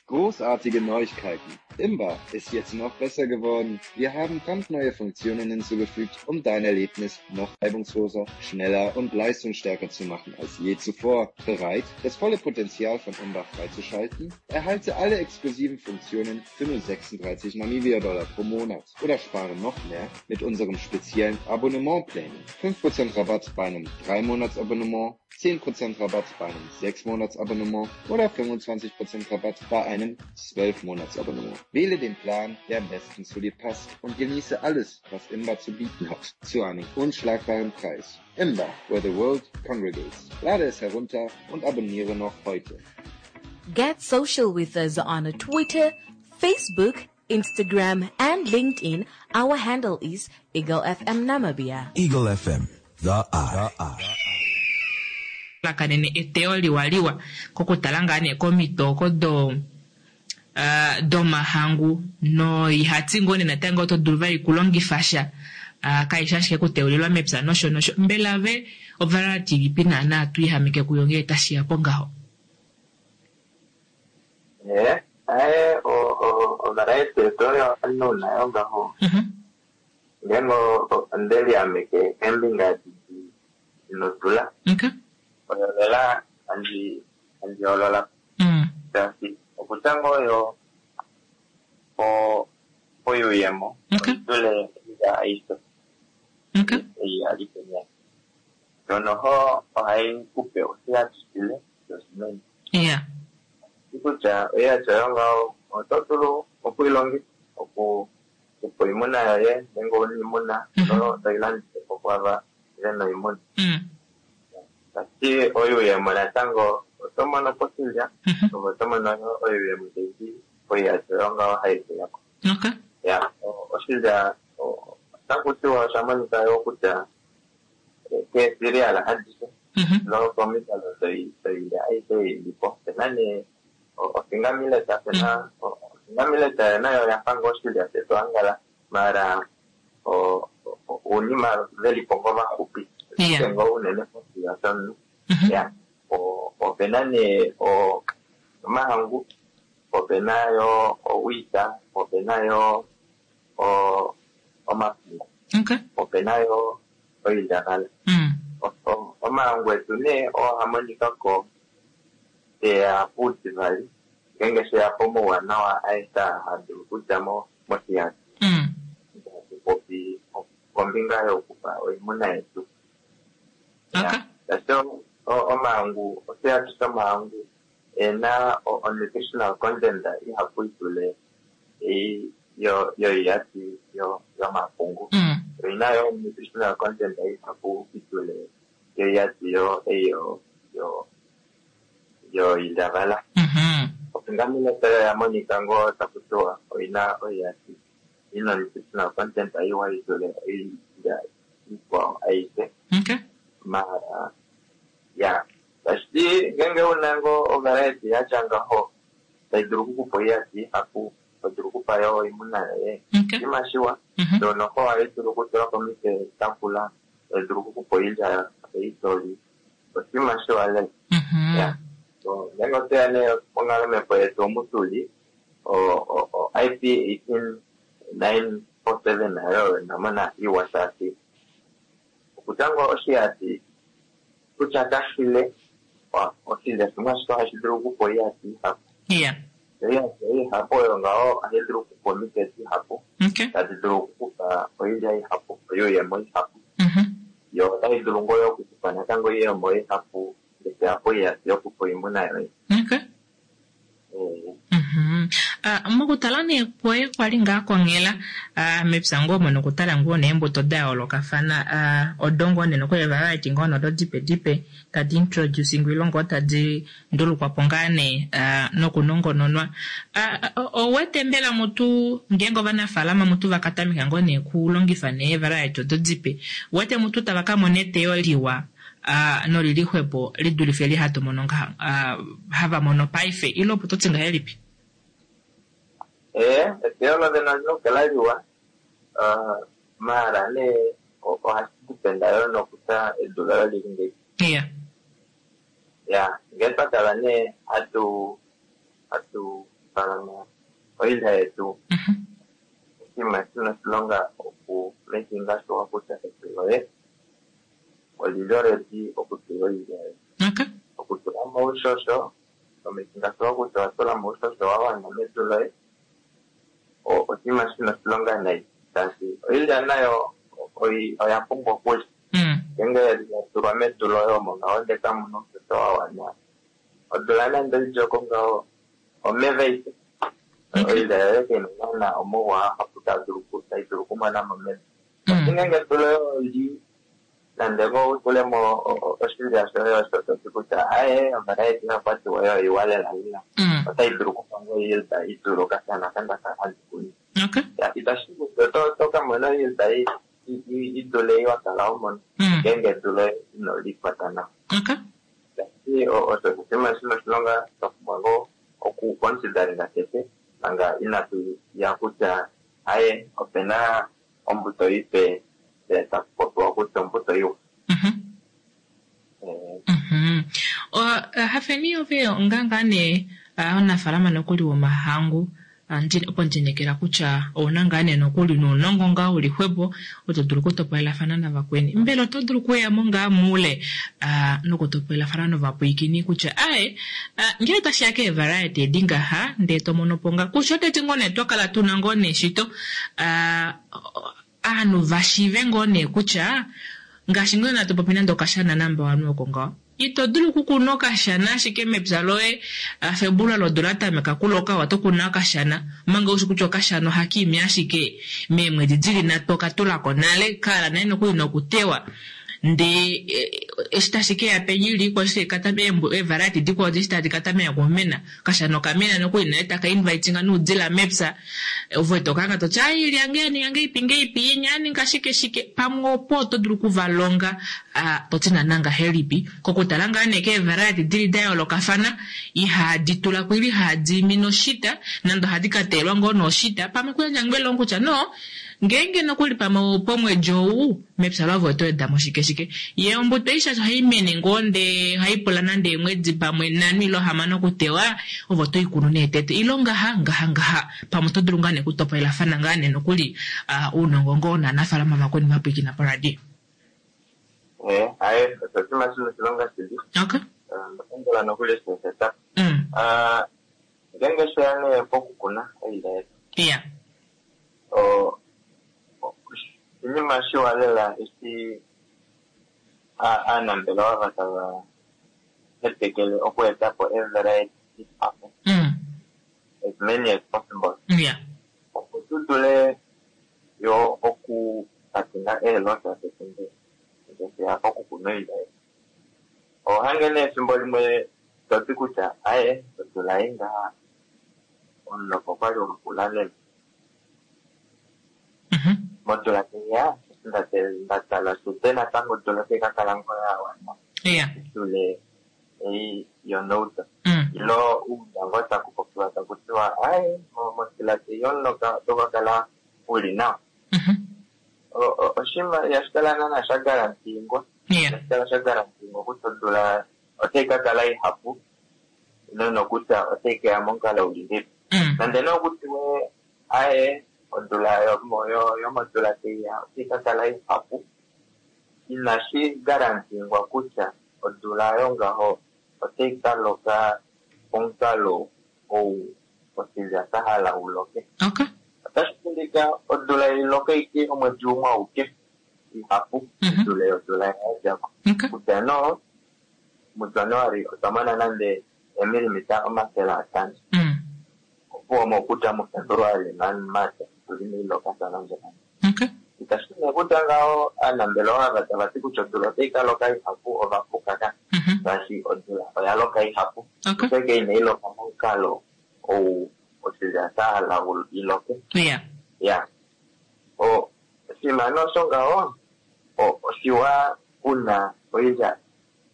Großartige Neuigkeiten! Imba ist jetzt noch besser geworden. Wir haben brandneue Funktionen hinzugefügt, um dein Erlebnis noch reibungsloser, schneller und leistungsstärker zu machen als je zuvor. Bereit, das volle Potenzial von Imba freizuschalten? Erhalte alle exklusiven Funktionen für nur sechsunddreißig Namibia-Dollar pro Monat oder spare noch mehr mit unserem speziellen Abonnementplänen. fünf Prozent Rabatt bei einem drei Monats-Abonnement, zehn Prozent Rabatt bei einem sechs Monats-Abonnement oder fünfundzwanzig Prozent Rabatt bei einem zwölf Monats-Abonnement. Wähle den Plan, der am besten zu dir passt und genieße alles, was Imba zu bieten hat, zu einem unschlagbaren Preis. Imba, where the world congregates. Lade es herunter und abonniere noch heute. Get social with us on Twitter, Facebook, Instagram, and LinkedIn. Our handle is Eagle F M Namibia. Eagle F M, the eye. The eye. Lakanene eteyo liwaliwa kokutala ngaa nee komitoko do, ah, domahangu no ihati ngoo nee natango oto dulu vali kulongifa sha, ah, kaishi ashike kuteulilwa mepya nosho nosho. Mbela ve ovariety ilipi naana tu ihamike kuyo ngee tashiya po ngaho? Eh, aye, o-, o-, ovariety yetu oyo unknown nayo ngaho. Mhm. Ngeenge o-, o-, onde liameke keembinga didi inodula. Okay. Oyo lela andi, andi holola. Mm. Shaashi okutya ngoo oyo po-, poyuuyemo, Okay. oidule ya aishe. Okay. Ei ya li penya. Shono ho ohai kupe oshihatisile shoshimeno. Yeah. Kutya oya tya yo ngaho, oto dulu okuilongifa oku-, opo oimuna yoye, ngeenge ouna oimuna, Mhm. oto ilandife po kwava vena oimuna. Mm. Tashiti oyuuyemo natango oto mono poshilya, Mhm. oto mono oyuuyemo taidi poihato yo ngaho hai uya ko. Okay. Ya, o-, oshilya, o-, otaku tiwa osha monika yo kutya keesirial adishe, Mhm. nokomikalo doi-, doilya aishe ili po. Opena nee o-, ofinger millet, opena o-, ofinger millet nayo oya fa ngoo oshilya shetu angala, mara o-, o-, uunima veli po ngoo vaxupi. Yeah. Ashike ngoo unene moshilya shomunhu. Mhm. Ya, o-, opena nee o-, omahangu, opena yo owheat, opena yo o-, omapungu. Okay. Opena yo oilyavala. Mm. O-, o-, Omahangu etu nee oo hamonikako teya puutivali ngeenge sheya pomauwanawa aeshe hadulu okudja mo moshihati. Mm. Hatu popi kombinga yokupa oimuna yetu. Okay. Shaashi omahangu, oshihati shomahangu ena o nutritional content ihapu idule ei yoihati yomapungu. Mm. Oina yo nutritional content ihapu idule yoihati yo ei yo yo yoilyavala. Mhm. Opo oya monika ngoo taku tiwa oina oihati ina nutritional content iwa idule oilya ikwao aishe. Okay. Mara ya tashiti ngeenge una ngoo ovariety yatya ngaho tai dulu okukupa oihati ihapu, to dulu okupa yo oimuna yoye. Okay. Oshinima shiwa. Mhm. Ndoo noho ohai dulu okutulwa komitwe dakula, tai dulu okukupa oilya ei toli. Oshinima shiwa lela. Mhm. Ya. So ngeenge otweya nee monghalo yetu omu tuli, o o I P eighteen nine four seven nayo ndamona iwa shaashi okutya ngoo oshihati kutya kashile, oshilya shimwe ashike ohashi dulu okukupa oihati ihapu. Yeah. Oihati ihapu oyo ngaho ohayi dulu okukupa omitwe dihapu, Okay. tadi dulu okukupa oilya ihapu, oyuuyemo ihapu. Mhm. Yo otayi dulu ngoo okukupa natango oiyemo ihapu ngaashi apo oihati yokupa oimuna yoye. Okay. Eh, Mhm. Ah, mokutala nee kwoye kwali ngaa konghela ah, mepya ngoo omo nokutala ngoo neembuto da yoolokafana ah, odo ngoo nee nokuli variety ngoo nodo dipe dipe tadi introducing ile ngoo tadi ndulukwapo ngaa nee ah, nokunongononwa. Ah, ouwete mbela mutu ngeenge ovanafaalama mutu vakatameka ngoo nee kulongifa nee variety odo dipe, uwete mutu tava kamona eteyo liwa ah, nolili xwepo lidulife eli hatu mono ngaha ah, hava mono paife ile opo toti ngahelipi? Eh, eteyo lovene olina okukala liwa, maala nee ohashi dependa yo nokutya edu loye olili ngahelipi. Yeah. Ya, ngee twa kala nee hatu hatu falama oilya yetu, Mhm. oshinima shina oshilonga oku makinga sure kutya edu loye olili already okutula oilya yoye. Okay. Okutula mo oushosho, omakinga sure kutya owa tula mo oushosho wa wana medu loye, oshinima shina oshilonga nayi shaashi oilya nayo oya pumbwa okulya. Mm. Ngeenge ya tulwa medu loye omo ngaho ndele kamuna oushosho wa wana, odula nande oidjeko ngaho omeva aike. Okay. Oilya yoye kaina naana omauwa ahapu tai dulu okumona momeva. Mm. Ngeenge edu loye oli nande ngoo utulemo oshilya shoye osho toti kutya aaye ovariety oyakwatiwa oyo iwa lela lela, Mm. otai dulu okupa ngoo yield idule okashana kandaka handi kunu. Okay. Ya, itashi kuti oto kamona yield idule ei wakala ho mono Mm. ngeenge edu loye ino likwata nawa. Okay. Shaashi osho oshinima shina oshilonga twa pumbwa ngoo okuconsideringa tete manga inatu ya kutya aye opena ombuto ipe taku popiwa kutya ombuto iwa. Mhm. Eh, Mhm. Hafeni ove onga ngaa nee omunafaalama nokuli womahangu, opo ndinekela kutya ouna ngaa nee nokuli nounongo ngaa uli xwepo oto dulu okutopolelafana navakweni. Mbela oto dulu okuyamo ngaa moule nokutopolelafana novapwiikini kutya aye ngele tashiya keevariety edi ngaha ndee tomono po ngaa kusha oteti ngoo nee twakala tuna ngoo nee shito ovanhu vashiive ngoo nee kutya ngaashi ngoo natu popi nande okashana number one oko ngaho ito dulu okukuna okashana ashike mepya loye February odula tameka kuloka oto kuna okashana omanga ushi kutya okashana ohaka imi ashike meemwedi dili nhatu okatulako nale kaala nale nokuli nokutewa ndee eshi tashi keya penya ili ikwao eshi eevariety dikwao eshi tadi katameka okumena okashana okamena nokuli nale taka invitinga noudila mepya ove tokahanga toti ai iilya yange yaninga ngeipi ngeipi inya yaninga shike shike pamwe opo oto dulu okuvalonga toti naana ngahelipi kokutala ngaa nee keevariety dili da yoolokafana ihadi tulako ile ihadi imi noshita nande ohadi kateyelwa ngoo noshita pamwe kuyandja ngoo elongo kutya no ngeenge nokuli pamwe pomwedi ou mepya lavo oto wedamo shike shike ye ombuto ei shaashi ohai mene ngoo ndee ohai pula nande eemwedi pamwe nhano ile hamano okutewa ove oto ikunu nee tete ile ngaha ngaha ngaha pamwe oto dulu ngaa nee okutopolelafana ngaa nee nokuli ounongo ngoo novanafaalama vakweni vapwiikina poradio. Eh, aye, oshinima shina oshilonga shili. Okay. Ndapondola nokuli eshi seta. Mm. Ah, ngeenge sheya nee pokukuna oilya yetu. Yeah. O- o- oshinima shiwa lela eshi a- aanambelewa va tava hetekele okueta po evariety ihapu Mm. as many as possible Yeah. opo tu dule yo okukatinga eelosa pefimbo ngeya pokukuna oilya yetu. Ohange nee efimbo limwe toti kutya aye odula ei ngaha omuloko okwali wakula lela Mhm. modula teya ndate- ndatala shute natango odula otai ka kala ngoo ya wana Yeah. dule ei yonouta Mm. ilo uuna ngoo taku popiwa taku tiwa aye mo- modula tei yomuloka oto ka kala uli nawa Mhm. O- o- oshinima ihashi kala naana sha garantingwa Yeah. ihashi kala sha garantingwa kutya odula otai ka kala ihapu nonokutya otai keya momukalo uli ngeipi Mm. nande nee okutiwe aye odula yomo- yo- yomodula teiya otai ka kala ihapu inashi garantingwa kutya odula yongaho otai ka loka pomukalo ou oshilya sha hala uloke Okay. otashi dulika odula iloke ike omwedi umwe auke ihapu Mhm. dule yodula yadjako Okay. kutya no mujanuari otwa mona nande emilimita omafele atano Mm. opuwo mokutya mufebruari namarch tuli miiloka sana ndjoka Okay. itashi nee kutya ngaho aanambelewa ava tava ti kutya odula otai ka loka ihapu ova puka ka Mhm. shaashi odula oya loka ihapu Okay. ashike inai loka momukalo ou oshilya sha hala u- iloke Yeah. ya o oshinima nee osho ngaho o- oshiwa una oilya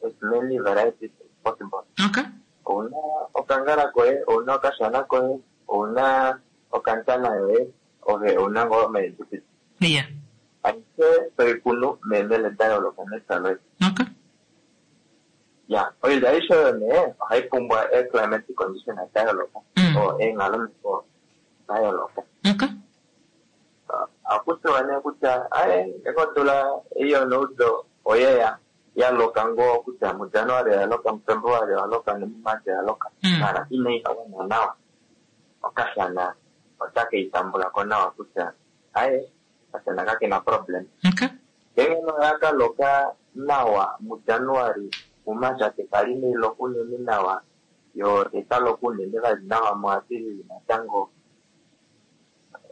as many varieties as possible Okay. ouna okangala koye ouna okashana koye ouna okantana yoye ove ouna ngoo omaendukiti Yeah. aishe toikunu meenhele da yooloka mepya loye Okay. ya oilya aishe oyo nee ohai pumbwa ee-climatic condition da yooloka Mm. o eenghalomipo da yooloka Okay. akutiwa nee kutya aye ngenge odula ei yonoudo oyeya ya loka ngoo kutya mujanuari oya loka mufebruari oya loka nomumarch oya loka Mm. mara inai wana nawa okashana otake itambula ko nawa kutya aye okashana kakena problem Okay. ngenge noya ka loka nawa mujanuari mumarch tekali neiloko unene nawa yo tekaloka unene vali nawa muapilili natango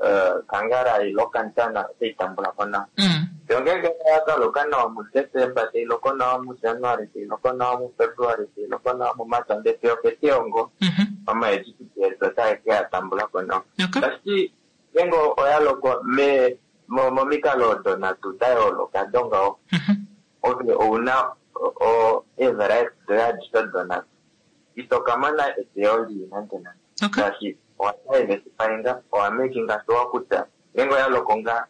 eh, kangara ilo kantana otai tambula ko nawa Mm. yo ngenge oya ka loka nawa mudesemba tailoko nawa mujanuari tailoko nawa mufebruari tailoko nawa mumarch ndele fiyo oketiongo Mhm. omaejipiti etu otae ke ya tambula ko nawa Okay. tashi ngenge oya loko me mo- momikalo odo nhatu da yooloka dongaho Mhm. ove ouna o- o- eevariety doye adishe odo nhatu ito ka mona eteyo lii nande nande Okay. shaashi owa diversifyinga owa makinga sure kutya ngenge oya loko nga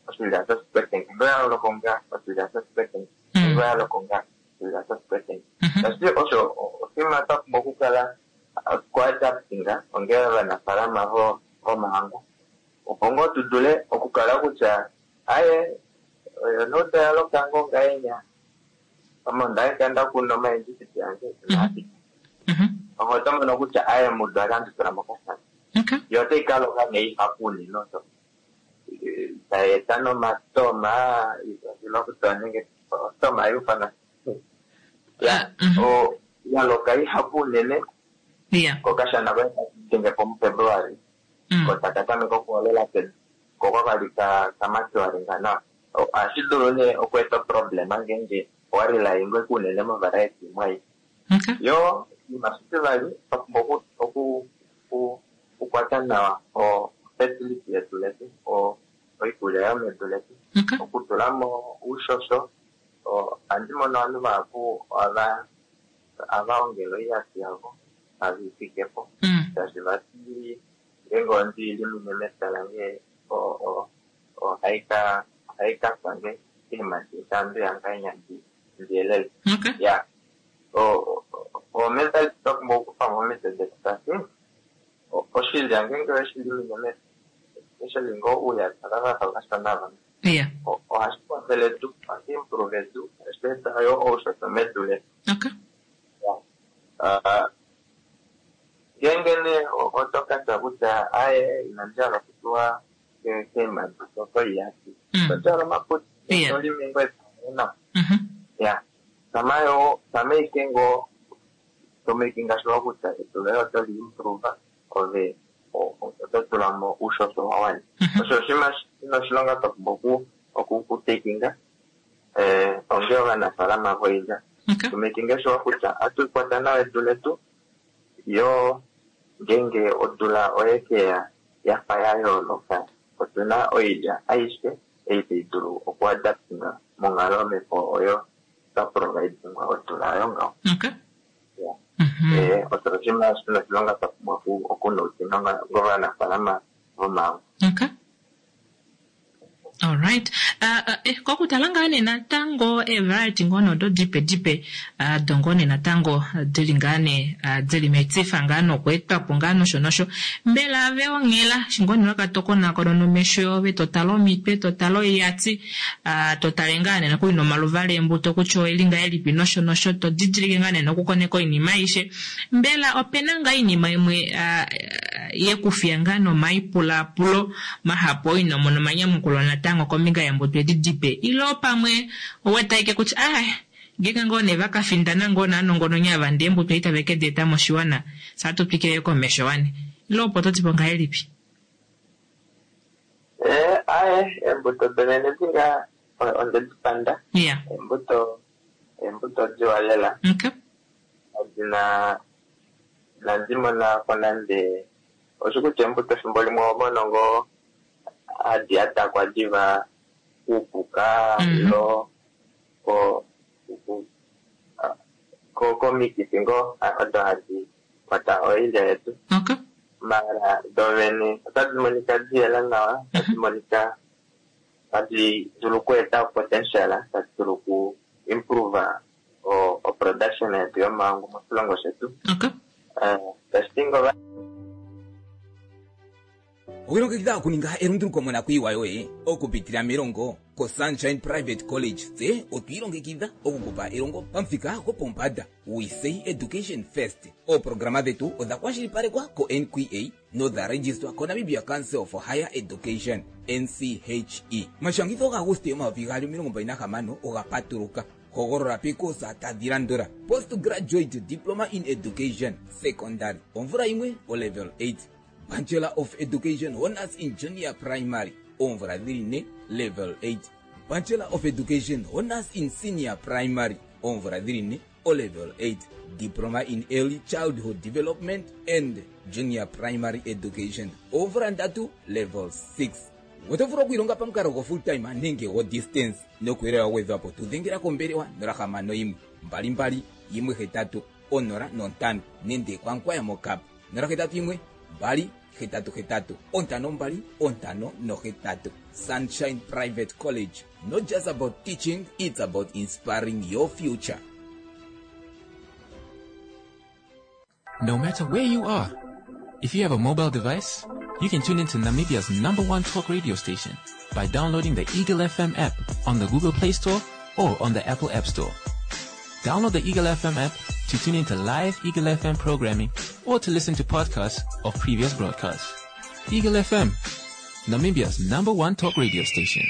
oshilya shosipeteng ngenge oya loko nga oshilya shosipeteng ngenge Mm. oya loko nga oshilya shosipeteng Mhm. tashi osho oshinima twa pumbwa okukala kuadaptinga onge ovanafaalama vo- vomahangu opo ngoo tu dule okukala kutya aye oyo nouda ya loka ngoo ngahenya ame onda nda kuna omaendjipiti ange Mhm. Mhm. oho oto mono kutya aye mudu akanditula mokashana Okay. yo otai ka loka nee ihapu unene osho tai eta nomatoma ilokutwa nenge ostoma yufana ya Mhm. o ya loka ihapu unene Yeah. kokashana koye kadenge po mufebruari Mm. ko taka tameka okuholela pedu ko kwakali ka kamatuaringa nawa O- ohashi dulu nee okweeta oproblema ngenge owarilaingwe kunene movariety imwe ayi Okay. yo oshinima shitivali twa pumbwa oku- oku- oku- okukwata nawa o fertility yedu letu o oikulya yomedu letu Okay. okutula mo uushosho o- ohandi mono ovanhu vahapu ohava ohava ongele oiyati yavo have i fike po Mm. shaashi vati ngenge ondi limine mepya lange o- o- ohai ka ohai ka pange eemadi dandu yanganya ndi ndiyelele Okay. ya o o mentality twa pumbwa okufa mo omitwe detu tashi o- oshilya ngenge oweshi limine mepya especially ngoo uuyata kavafa vashona vamwe Yeah. ohashi kwathele edu ohashi improve edu ohashi Tashi eta yo oushosho medu letu. Okay. Ah, ngeenge nee oto ka tya kutya aye inandi hala okutuwa ke- keemadi koiyati Mm. to djala omaputi Yeah. to limi ngoo epya nawa Mhm. ya sama yo sama ike ngoo to makinga sure kutya edu loye oto li improve ove o- o- oto tula mo uushosho wa wana. Mhm. Osho oshinima shina oshilonga twa pumbwa oku- oku- okutekinga eh, onge ovanafaalama voilya Okay. tu makinge sure kutya ohatu kwata nawa edu letu yo ngeenge odula oye keya yafa ya yooloka otuna oilya aishe ei tai dulu okuadaptinga monghalo yomhepo oyo twa providingwa odula oyo ngaho. Okay. Yeah. Mhm. Eh, osho oshinima shina oshilonga twa pumbwa oku- okunoutina ngovanafaalama vomaangu. Okay. Alright. Uh, uh, eh, kokutala ngaa nee natango evariety ngoo nee odo dipe dipe uh, do ngoo nee natango dili ngaa nee uh, dili metifa ngaa nokweetwa po ngaa nosho nosho. Mbela ave onghela shi ngoo nee wakatokonakona nomesho yove totala omitwe totala oiyati uh, totale ngaa nee nokuli nomaluvala eembuto kutya oeli ngahelipi nosho nosho to didilike ngaa nee nokukoneka oinima aishe. Mbela opena ngaa oinima imwe uh, yekufiya ngaa nomaipulapulo mahapu oino mono omanyamukulo natango kombinga yeembuto edi dipe ilo pamwe owetaike kutya ah ngeenge ngoo nee vakafindana ngoo naanongononi ava ndee embuto ei tave ke di eta moshiwana sa twikile komesho wane ilo opo totipo ngahelipi? Eh, aye eembuto dovene dinga onde di panda Yeah. eembuto eembuto diwa lela Okay. adina inandi mona ko nande osho kutya eembuto efimbo limwe oho mono ngoo hadi atakwa diva kuupuka Mhm. ilo ko ku- ah, ko komikifi ngoo ah, odo hadi kwata oilya yetu Okay. mara dovene otadi monika diyela nawa otadi monika tadi dulu okueta potential tadi dulu oku improve o, o production yetu yomaangu moshilongo shetu. Okay. Eh, tashi ti ngoo Owilongekidha okuninga elunduluko monakuyiwa yoye okupitila melongo koSunshine Private College tse otwiilongekidha okukupa elongo pamuthika gopombanda. We say education first. Ooprograma dhetu odha kwashilipalekwa ko-N Q A nodha registwa koNamibia Council for Higher Education N C H E. Omashangitho gaAguste omayovi gaali omilongo mbali nahamano oga patuluka. Hogolola pekosa tadhi landula: postgraduate diploma in education secondary omvula yimwe o level eight, Bachelor of Education Honors in Junior Primary oomvula dhili ne level eight, Bachelor of Education Honors in Senior Primary oomvula dhili ne o level eight, Diploma in Early Childhood Development and Junior Primary Education oomvula ndatu level six. Oto vulu okwiilonga pamukalo go full time nenge go distance. Nokuyelele wa gwedhwapo tudhengela kombelewa nola hamano yimwe mbali mbali yimwe hetatu onola nontano nenge kwankwaya mokap nola hetatu yimwe mbali hetatu hetatu ontano mbali ontano nohetatu. Sunshine Private College, not just about teaching, it's about inspiring your future. No matter where you are, if you have a mobile device, you can tune into Namibia's number one talk radio station by downloading the Eagle F M app on the Google Play Store or on the Apple App Store. Download the Eagle F M app to tune into live Eagle F M programming or to listen to podcasts of previous broadcasts. Eagle F M, Namibia's number one talk radio station.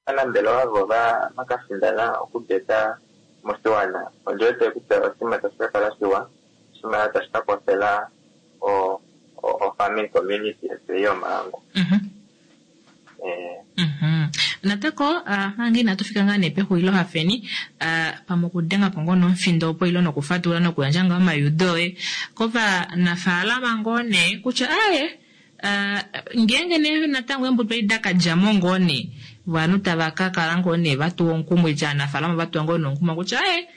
Aanambelewa vo va vakafindana okudeta moshiwana ondi wete kutya oshinima tashi ka kala shiwa oshinima tashi ka kwafela o o- o farming community yetu yomaangu. Mhm. Eh, Mhm. Natako uh, mange inatu fika ngaa nee pexulilo hafeni uh, pamwe okudenga po ngoo nomufindo opo ilo nokufatula nokuyandja ngoo omayudo oye kovanafaalama ngoo nee kutya aye uh, ngeenge nee natango eembuto edi dakadjamo ngoo nee ovanhu tava ka kala ngoo nee vatuwa omukumo itya aanafaalama vatuwa ngoo nomukumo kutya aye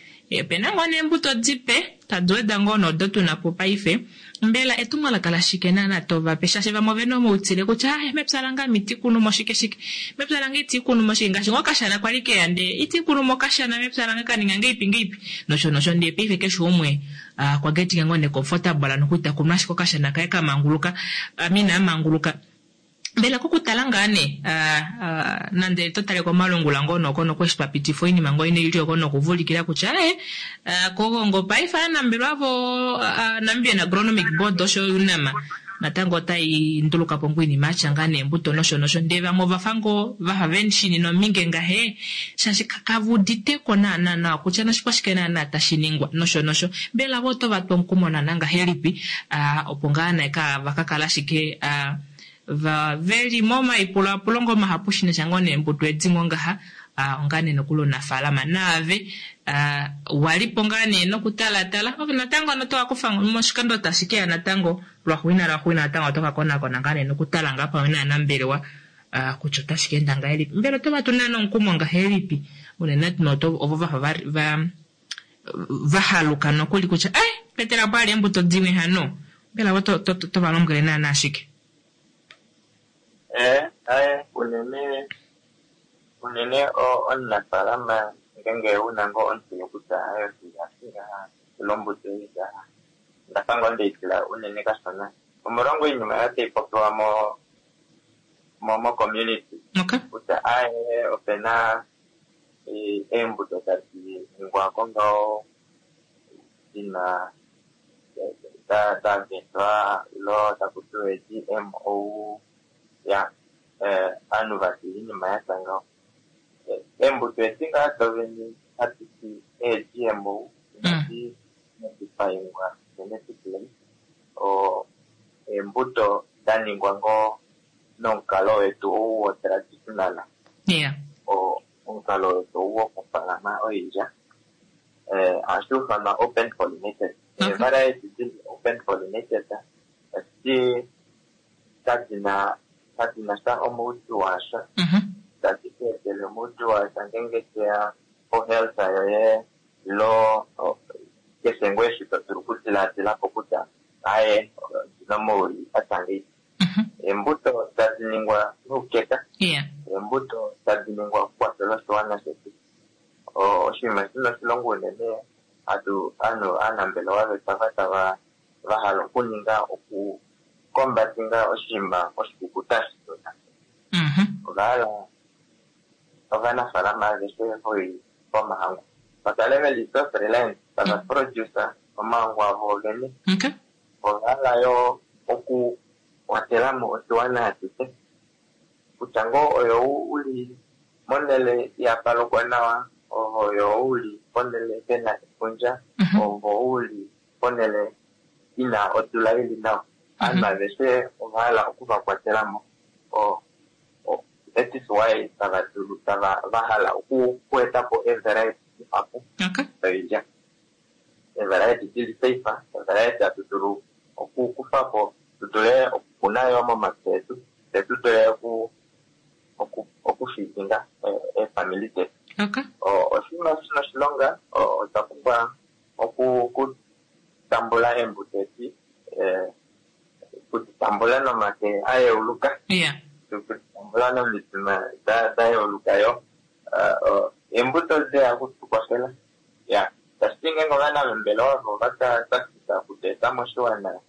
opena ngoo neembuto dipe tadi weda ngoo nodo tuna po paife. Mbela etumwalaka lashike naana tovape shaashi vamwe ovena omautile kutya aye mepya lange ame iti kunumo shike shike mepya lange iti kunumo shike ngaashi ngoo okashana kwali keya ndee iti kunumo okashana mepya lange kaninga ngeipi ngeipi nosho nosho ndee paife keshe umwe uh, kwa getinga ngoo ne comfortable nokuita kunu ashike okashana kaye kamanguluka amina amanguluka. Mbela kokutala ngaa nee ah, ah, nande to tale komalungula ngoo noko nokweshi twa pitifa oinima ngoo ine ili oko nokuvulikila kutya eh, ah, kogongo paife aanambelwa vo ah, Namibian Agronomic Board osho yo UNAM natango otai nduluka po ngoo iinima yatya ngaa neembuto nosho nosho ndee vamwe ovafa ngoo vafa veshini nominge ngahe shaashi kave uditeko naana nawa kutya noshikwashike naana tashi ningwa nosho nosho mbela vo oto va twa omukumo naana ngahelipi ah, opo ngaa nee ka va ka kala ashike ah, va veli momaipulaapulo ngoo mahapu shinasha ngoo neembuto edi ngoo ngaha ah, onga nee nokuli omunafaalama naave ah, walipo ngaa nee nokutalatala ove natango ano tokakufa moshikando tashi keya natango lwaxuuninwa lwaxuuninwa natango oto ka konakona ngaa nee nokutala ngaa pamwe naanambelewa ah, kutya otashi ka enda ngahelipi mbela oto va tu naana omukumo ngahelipi unene tuu ovo vafa va, va vahaluka nokuli kutya eh petela pwali eembuto dimwe hano mbela vo to, to, to, to va lombwele naana ashike Eh, aye unene unene o- omunafaalama ngenge una ngoo ontseyo kutya aye oshinga lombuto ei ngaha ndafa ngoo ndeitila unene kashona omolwa iinima oyo tayi popiwa mo mo mo community okay kutya aye opena eh, eembuto tadi ningwa ko ngaho dina da da vetwa ilo taku tiwa GMO ya eh, ovanhu vati iinima yatya ngaho Eh, eembuto edi ngaa dovene hadi ti ee-GMO inadi modifyingwa genetically o eembuto da ningwa ngoo nomukalo wetu ou wo traditional yeah o omukalo wetu ou wokufaalama oilya eh, ohashi ufanwa open pollinated Okay. ee-variety dili open pollinated edi kadina kadina sha omaudju washa mhm tadi ku etele omaudju washa ngenge teya po-health yoye ilo o- keshe ngoo eshi to dulu okudilaadilapo kutya aye ondina omauli atya ngei mhm eembuto tadi ningwa noukeka yeah eembuto tadi ningwa okukwafela oshiwana shetu O- oshinima shina oshilongo unene hatu ovanhu aanambelewa vetu ava tava vahala okuninga okukombatinga oshinima oshikukuta shituna mhm ovahala ovanafaalama aveshe voi vomahangu vakale veli self reliant tava produce omahangu avo vene okay ovahala yo oku kwatelamo oshiwana ashishe kutya ngoo oyo uli monhele yapalokwa nawa oyo uli ponhele pena efundja Mhm. ovo uli ponhele ina odula ili nawa ovanhu aveshe ovahala okuvakwatelamo o o- that is why tava dulu tava vahala oku okuetapo ee-variety dihapu okay doilya ee-variety dili safe ee-variety hatu dulu okukufapo tu dule okukuna yo momapya etu fye tu dule oku oku okufeedinga eefamili detu okay O- oshinima shina oshilonga o- otwa pumbwa oku okutambula eembuto edi eh, okuditambula nomake a yeuluka yeah okuditambula nomitima da da yeuluka yo Eh, o- eembuto deya okutukwafela ya tashiti ngenge ovanambelewa vo vaka okudeeta moshiwana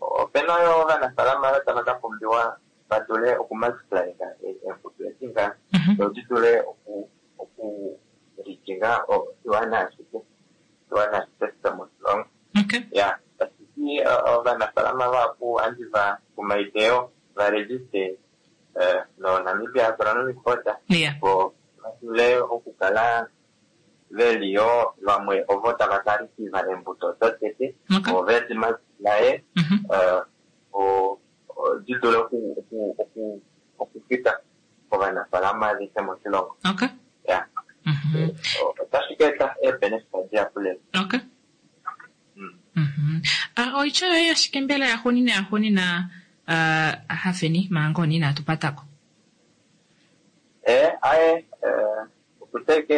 opena yo ovanafaalama ava tava ka pumbiwa va dule okumultiplyinga eembuto edi nga mhm do di dule oku okulikinga oshiwana ashishe oshiwana ashishe shomoshilongo okay ya tashiti ovanafaalama vahapu ohandi va kumaideyo va register eh, no Namibia Agronomic Board yeah opo va dule okukala veli yo vamwe ovo tava ka receive eembuto dotete okay vo vedi multiplye mhm eh, o- o- di dule oku- oku- oku- okufika kovanafaalama aveshe moshilongo okay ya mhm otashi ka eta ee-benefit dihapu lela okay Mm. Mhm. Ah, oitya yoye ashike mbela yaxuuninwa yaxuuninwa uh, hafeni manga oni inatu patako Eh, aye eh, okuteke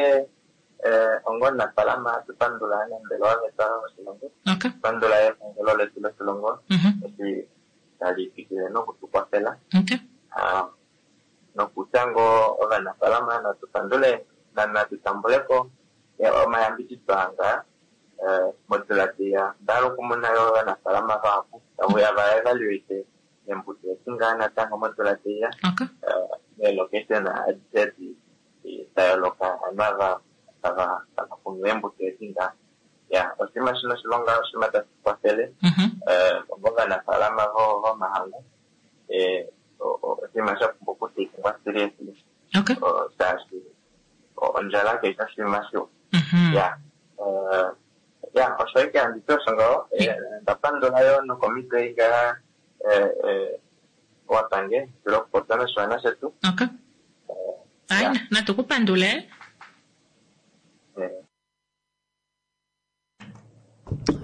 eh, onga omunafaalama tupandula aanambelewa vetu moshilongo okay tupandula epangelo letu loshilongo mhm eshi tali twikile nokutukwafela okay Ah, nokutya ngoo ovanafaalama natupandule na- natutambuleko eh, omayambidido anga eh, modula teya ndahala okumona yo ovanafaalama vahapu tavuya va evaluate Eembuto edi ngaa natango modula teiya Okay. meelocation adishe di da yooloka ovanhu ava tava tava kunu eembuto edi ngaa. Ya, oshinima shino oshilonga oshinima tashi kwathele Mhm. eh, ovanafaalama vo- vomahangu eh, o- o- oshinima sha pumbwa okutekwa seriously. Okay. O, shaashi o- ondjala kai shi oshinima shiwa. Mhm. Ya, eh, ya osho ashike handi ti osho ngaho. Eh, onda pandula yo nokomito ei ngaa eh, eh, wapange dule okupopya noshiwana shetu. Okay. Ai, Ya. natu ku pandule. Eh,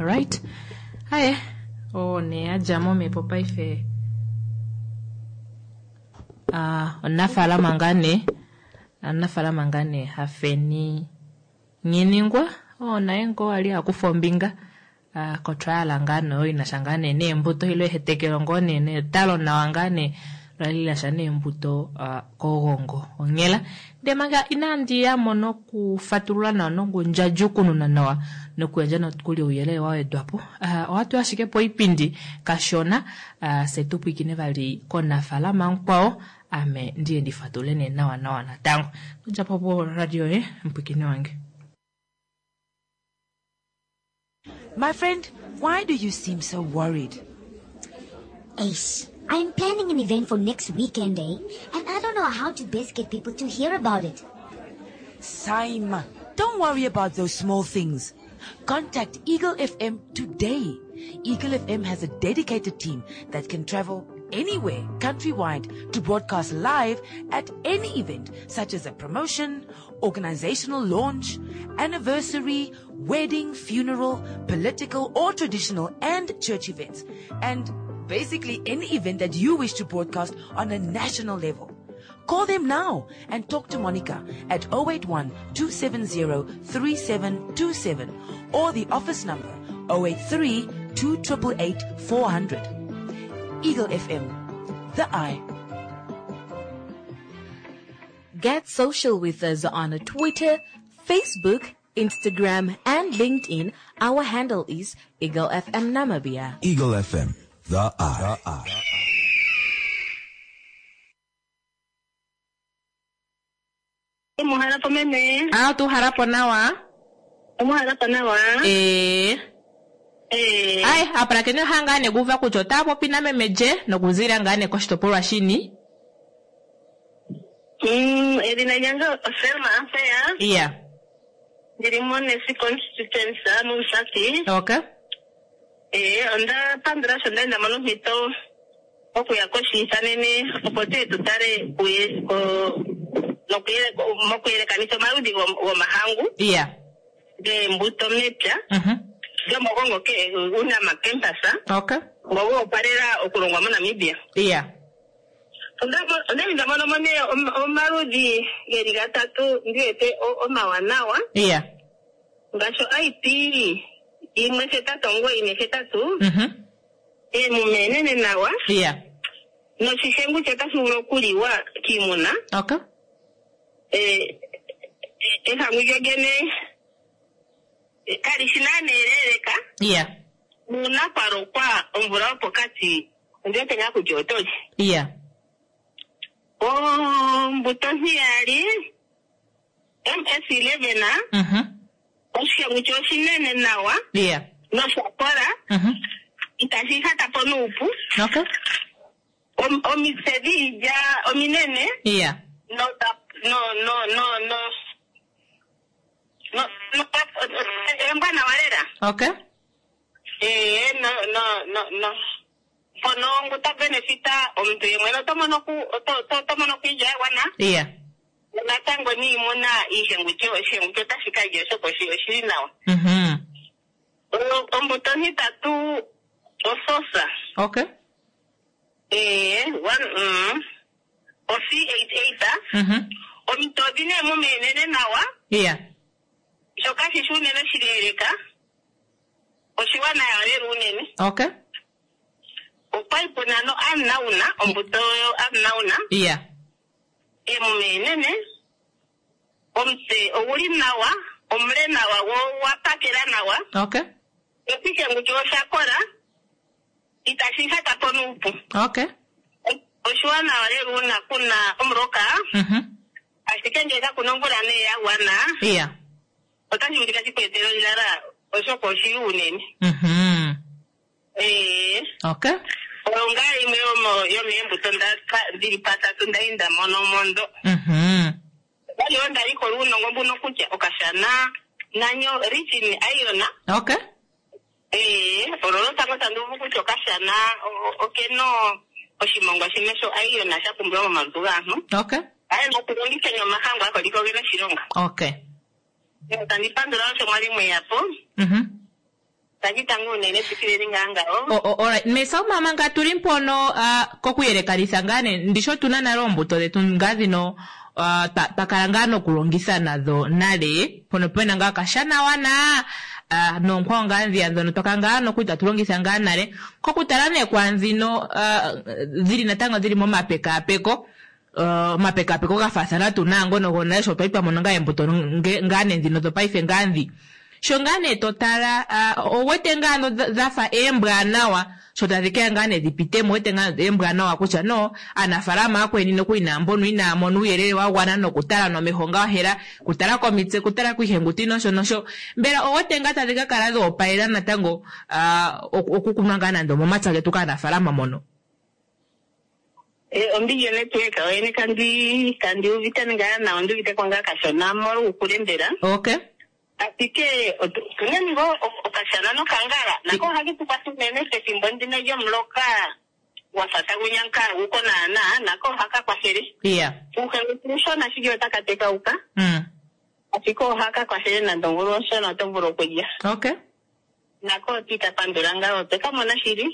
Alright. Aye. Oh, ne adja momhepo paife. Ah, omunafaalama ngaa nee. Omunafaalama ngaa nee Hafeni Nhiningwa. Oh, naye ngoo ali akufa ombinga. Ah, kotrial ngaa nee oyo inasha ngaa nee neembuto ile ehetekelo ngoo nee netalo nawa ngaa nee lali lasha neembuto ah, kOgongo onghela. Ndee manga inandi yamo nokufatulula nawa nokundjadjukununa nawa nokuyandja nokuli ouyelele wa wedwa po. Ah, ohatu ashike po oipindi kashona ah, fye tu pwiikine vali komunafaalama mukwao ame ndiye ndifatulule nee nawa nawa natango. Djapo po radio ye mupwiikine wange. My friend, why do you seem so worried? Ace, I'm planning an event for next weekend, eh? And I don't know how to best get people to hear about it. Saima, don't worry about those small things. Contact Eagle F M today. Eagle F M has a dedicated team that can travel anywhere countrywide to broadcast live at any event such as a promotion, organizational launch, anniversary, wedding, funeral, political or traditional and church events, and basically any event that you wish to broadcast on a national level. Call them now and talk to Monica at oh eight one, two seven zero, three seven two seven or the office number oh eight three, two triple eight, four hundred. Eagle F M, the eye. Get social with us on Twitter, Facebook, Instagram, and LinkedIn. Our handle is Eagle F M Namibia. Eagle F M, the eye. The eye. Omuhalapo meme. Ah, tuuhalapo nawa. Omuhalapo nawa. Eh. Eh. Ai, apulakeni oha ngaa nee kuuva kutya otaya popi nameme lye nokuzila ngaa nee koshitopolwa shini. Mm, edhina lyange oSelma Ampeya. Iya. Ndili moNesi constituency mOmusati. Okay. Eh, onda pandula sho nda mono ompito okuya koshiithanene opo tuye tu tale kuye ko nokuyele mokuyelekanitha omaludhi gom- gomahangu. Iya. Geembuto mepya. Mhm. Gomogongo ke Unam campus. Okay. Ngo goopalela okulongwa moNamibia. Iya. Onda mo-, onda li nda mono mo nee om-, omaludhi geli gatatu ndi wete o-, omawanawa. Iya. Ngaashi I P yimwe hetatu omugoyi nehetatu. Mhm. Eemume enene nawa. Iya. Noshihengu che otashi vulu okuliwa kiimuna. Okay. Eh, ehangu lyo lyene kali shi naana eleeleka. Iya. Nuuna kwa lokwa omvula yopokati, ondi wete ngaa kutya oto li. Iya. Ombuto ntiyali, M S eleven, Mhm. oshihengu che oshinene nawa. Iya. Nosha kola. Mhm. Itashi ihata po nuupu. Okay. Om-, omitse dhiilya ominene. Iya. No, no, no, no, no. No, no, embwanawa lela. Okay. Eh, no, no, no, no. Mpono ngu ta benefita omuntu ye mwene oto mono ku, oto, oto, oto mono ku iilya ya gwana. Iya. Natango niimuna iihenguti, oshihenguti otashi ka lya oshoka oshi-, oshili nawa. Mhm. O-, ombuto ontitatu ososa. Okay. Eh, one, mm. O C eight eight. Mhm. Omuntu odhi nee mumenene nawa. Iya. Shoka shishi unene oshileeleka. Oshiwanawa lela unene. Okay. Okwali puna no Amnauna, ombuto yo Amnauna. Iya. Emume enene. Omutse oguli nawa, omule nawa, wo wa pakela nawa. Okay. Oshihenguti osha kola. Itashi hata po nuupu. Okay. Oshiwanawa lela uuna kuna omuloka, Mhm. ashike ngele kakuna omvula nee ya gwana, Yeah. otashi vulika shi ku etele ondjala, oshoka oshili unene. Mhm. Ee, Okay. oyo ngaa yimwe yomo- yomeembuto ndaka- dhili patatu ndali nda mono mondo. Mhm. Ndali wo nda likola uunongo mbuno kutya okashana nanyo rich in iron. Okay. Ee, olo lwotango tandi uvu kutya okashana o- o- okena oshimongwa shimwe sho iron sha pumbiwa momalutu gaantu. Okay. Aye, nokulongitha omahangu ako liko gena oshilonga. Okay. Tandi pandula osho mwali mweya po. Mhm. Tandi tanga unene tsikileni ngaa ngawo. O- o- Alright, Mesa mama nga tuli mpono ah, kokuyelekanitha ngaa ne ndisho tuna nale oombuto dhetu ngaa dhino ah, twa twa kala ngaa nokulongitha nadho nale mpono pena ngaa okashanawana ah, noonkwawo ngaa ndhiya ndhono twakala ngaa nokuli tatu longitha ngaa nale kokutala nee kwaandhino ah, dhili natango dhili momapekaapeko uh, omapekaapeko ga faathana tuu naangono gonale sho twali twa mono ngaa eembuto nge- ngaa nee ndhino dhopaife ngaa ndhi sho ngaa nee to tala ah, owete ngaa no dha dha fa eembwanawa sho tadhi keya ngaa nee dhi pitemo owete ngaa eembwanawa kutya no aanafalama akweni nokuli naambono inaa mona uuyelele wa gwana nokutala nomeho ngaa hela kutala komitse kutala kiihenguti nosho nosho mbela owete ngaa tadhi ka kala dhoopalela natango ah, oku- okukunwa ngaa nande omomapya getu kaanafalama mono Eh, ombili yonetwork oyene kandi kandi uvite ngaa nawa ondi uvite ko ngaa kashona molwuukule mbela. Okay. Ashike otu- otuna ngo okashana nokangala nako ohake tu kwatha unene pethimbo ndino lyomuloka gwafa tagu nyanka guko naana nako ohaka kwathele. Yeah. Uuhenguti uushona shike otaka tekauka Mm. ashike ohaka kwathele nande omvula onshona oto vulu okulya. Okay. Nako otika pandula ngaa otwe ka mona shili.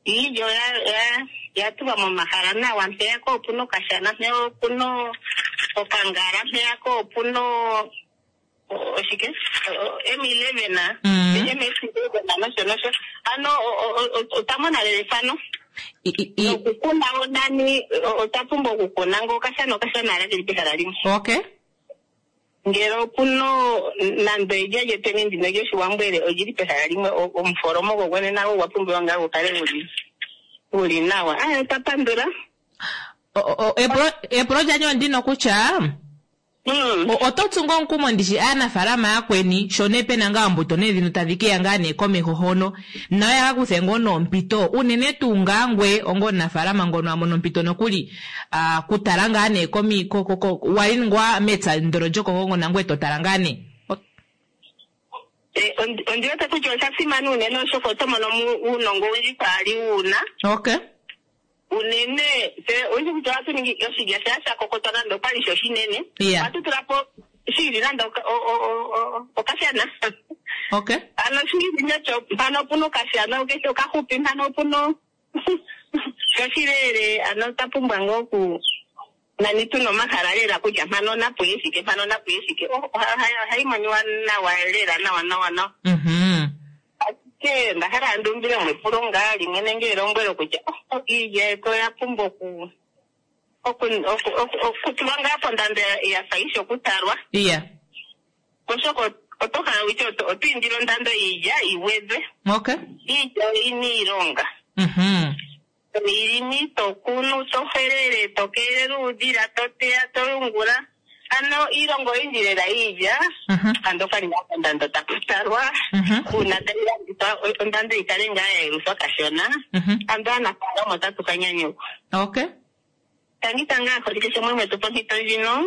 Iilya oya ya ya tulwa momahala nawa mpeyaka opuna okashana mpeya opuna okangala mpeyaka opuna o- oshike M eleven M eleven nosho nosho ano o- o- o- otwa mona lela efano nokukuna wo nani o- otwa pumbwa okukuna ngo okashana okashana ala keli pehala limwe. Okay. Ngele opuna nando elya lyetweni ndino lyoshiwambwele olili pehala limwe o- omufolomo gogwene nago ogwa pumbiwa ngaa gukale guli guli nawa. Aya otwa pandula. O- o- epulo epulo lyandje ondino kutya o- oto tsu ngaa omukumo ndishi aanafalama yakweni sho nee pena ngaa oombuto nee dhino tadhi keya ngaa nee komeho hono nayo yaka kuthe ngoo noompito unene tuu ngaa ngwe onga omunafalama ngono a mono ompito nokuli ah, kutala ngaa nee komi ko- ko- ko- wali ngwa mepya ndono lyokogongo nangwe to tala ngaa nee Eh, ondi ondi wete kutya osha simana unene oshoka oto mono mu uunongo owundji kwaali wuna. Okay. Unene tse oyindji kutya ohatu ningi oshilya shaa sha kokotwa nande okwali sho oshinene. Yeah. Ohatu tula po shili nande oka- o- o- o- o- okashana. Okay. Ano shili nasho mpano opuna okashana keshe okahupi mpano opuna sho shilele ano otwa pumbwa ngaa oku nani tuna omahala lela kutya mpano napuye shike mpano napuye shike Oh, oha- oha- ohayi moniwa nawa lela nawa nawa nawa. Mhm. Ashike onda hala andi umbile mo epulo ngaa limwe nenge elombwelo kutya oh, oh, iilya yetu oya pumbwa oku oku- oku- oku- okutulwa ngaa pondando ya- ya fa ishi okutalwa Yeah. oshoka oto hala witye oto oto indile ondando yiilya yi gwedhwe. Okay. Iilya oyina iilonga. Mhm. Toyilimi, to kunu, to helele, to keelele uudhila, to teya, to yungula. Ano iilonga oyindji lela yiilya ando okwali ngaa kondando taku talwa uuna tayi landithwa o- ondando yi kale ngaa ya yeluthwa kashona ando aanafaalama otatu ka nyanyukwa. Okay. Tangi tanga aaholike sho mwe tu pompito ndjino.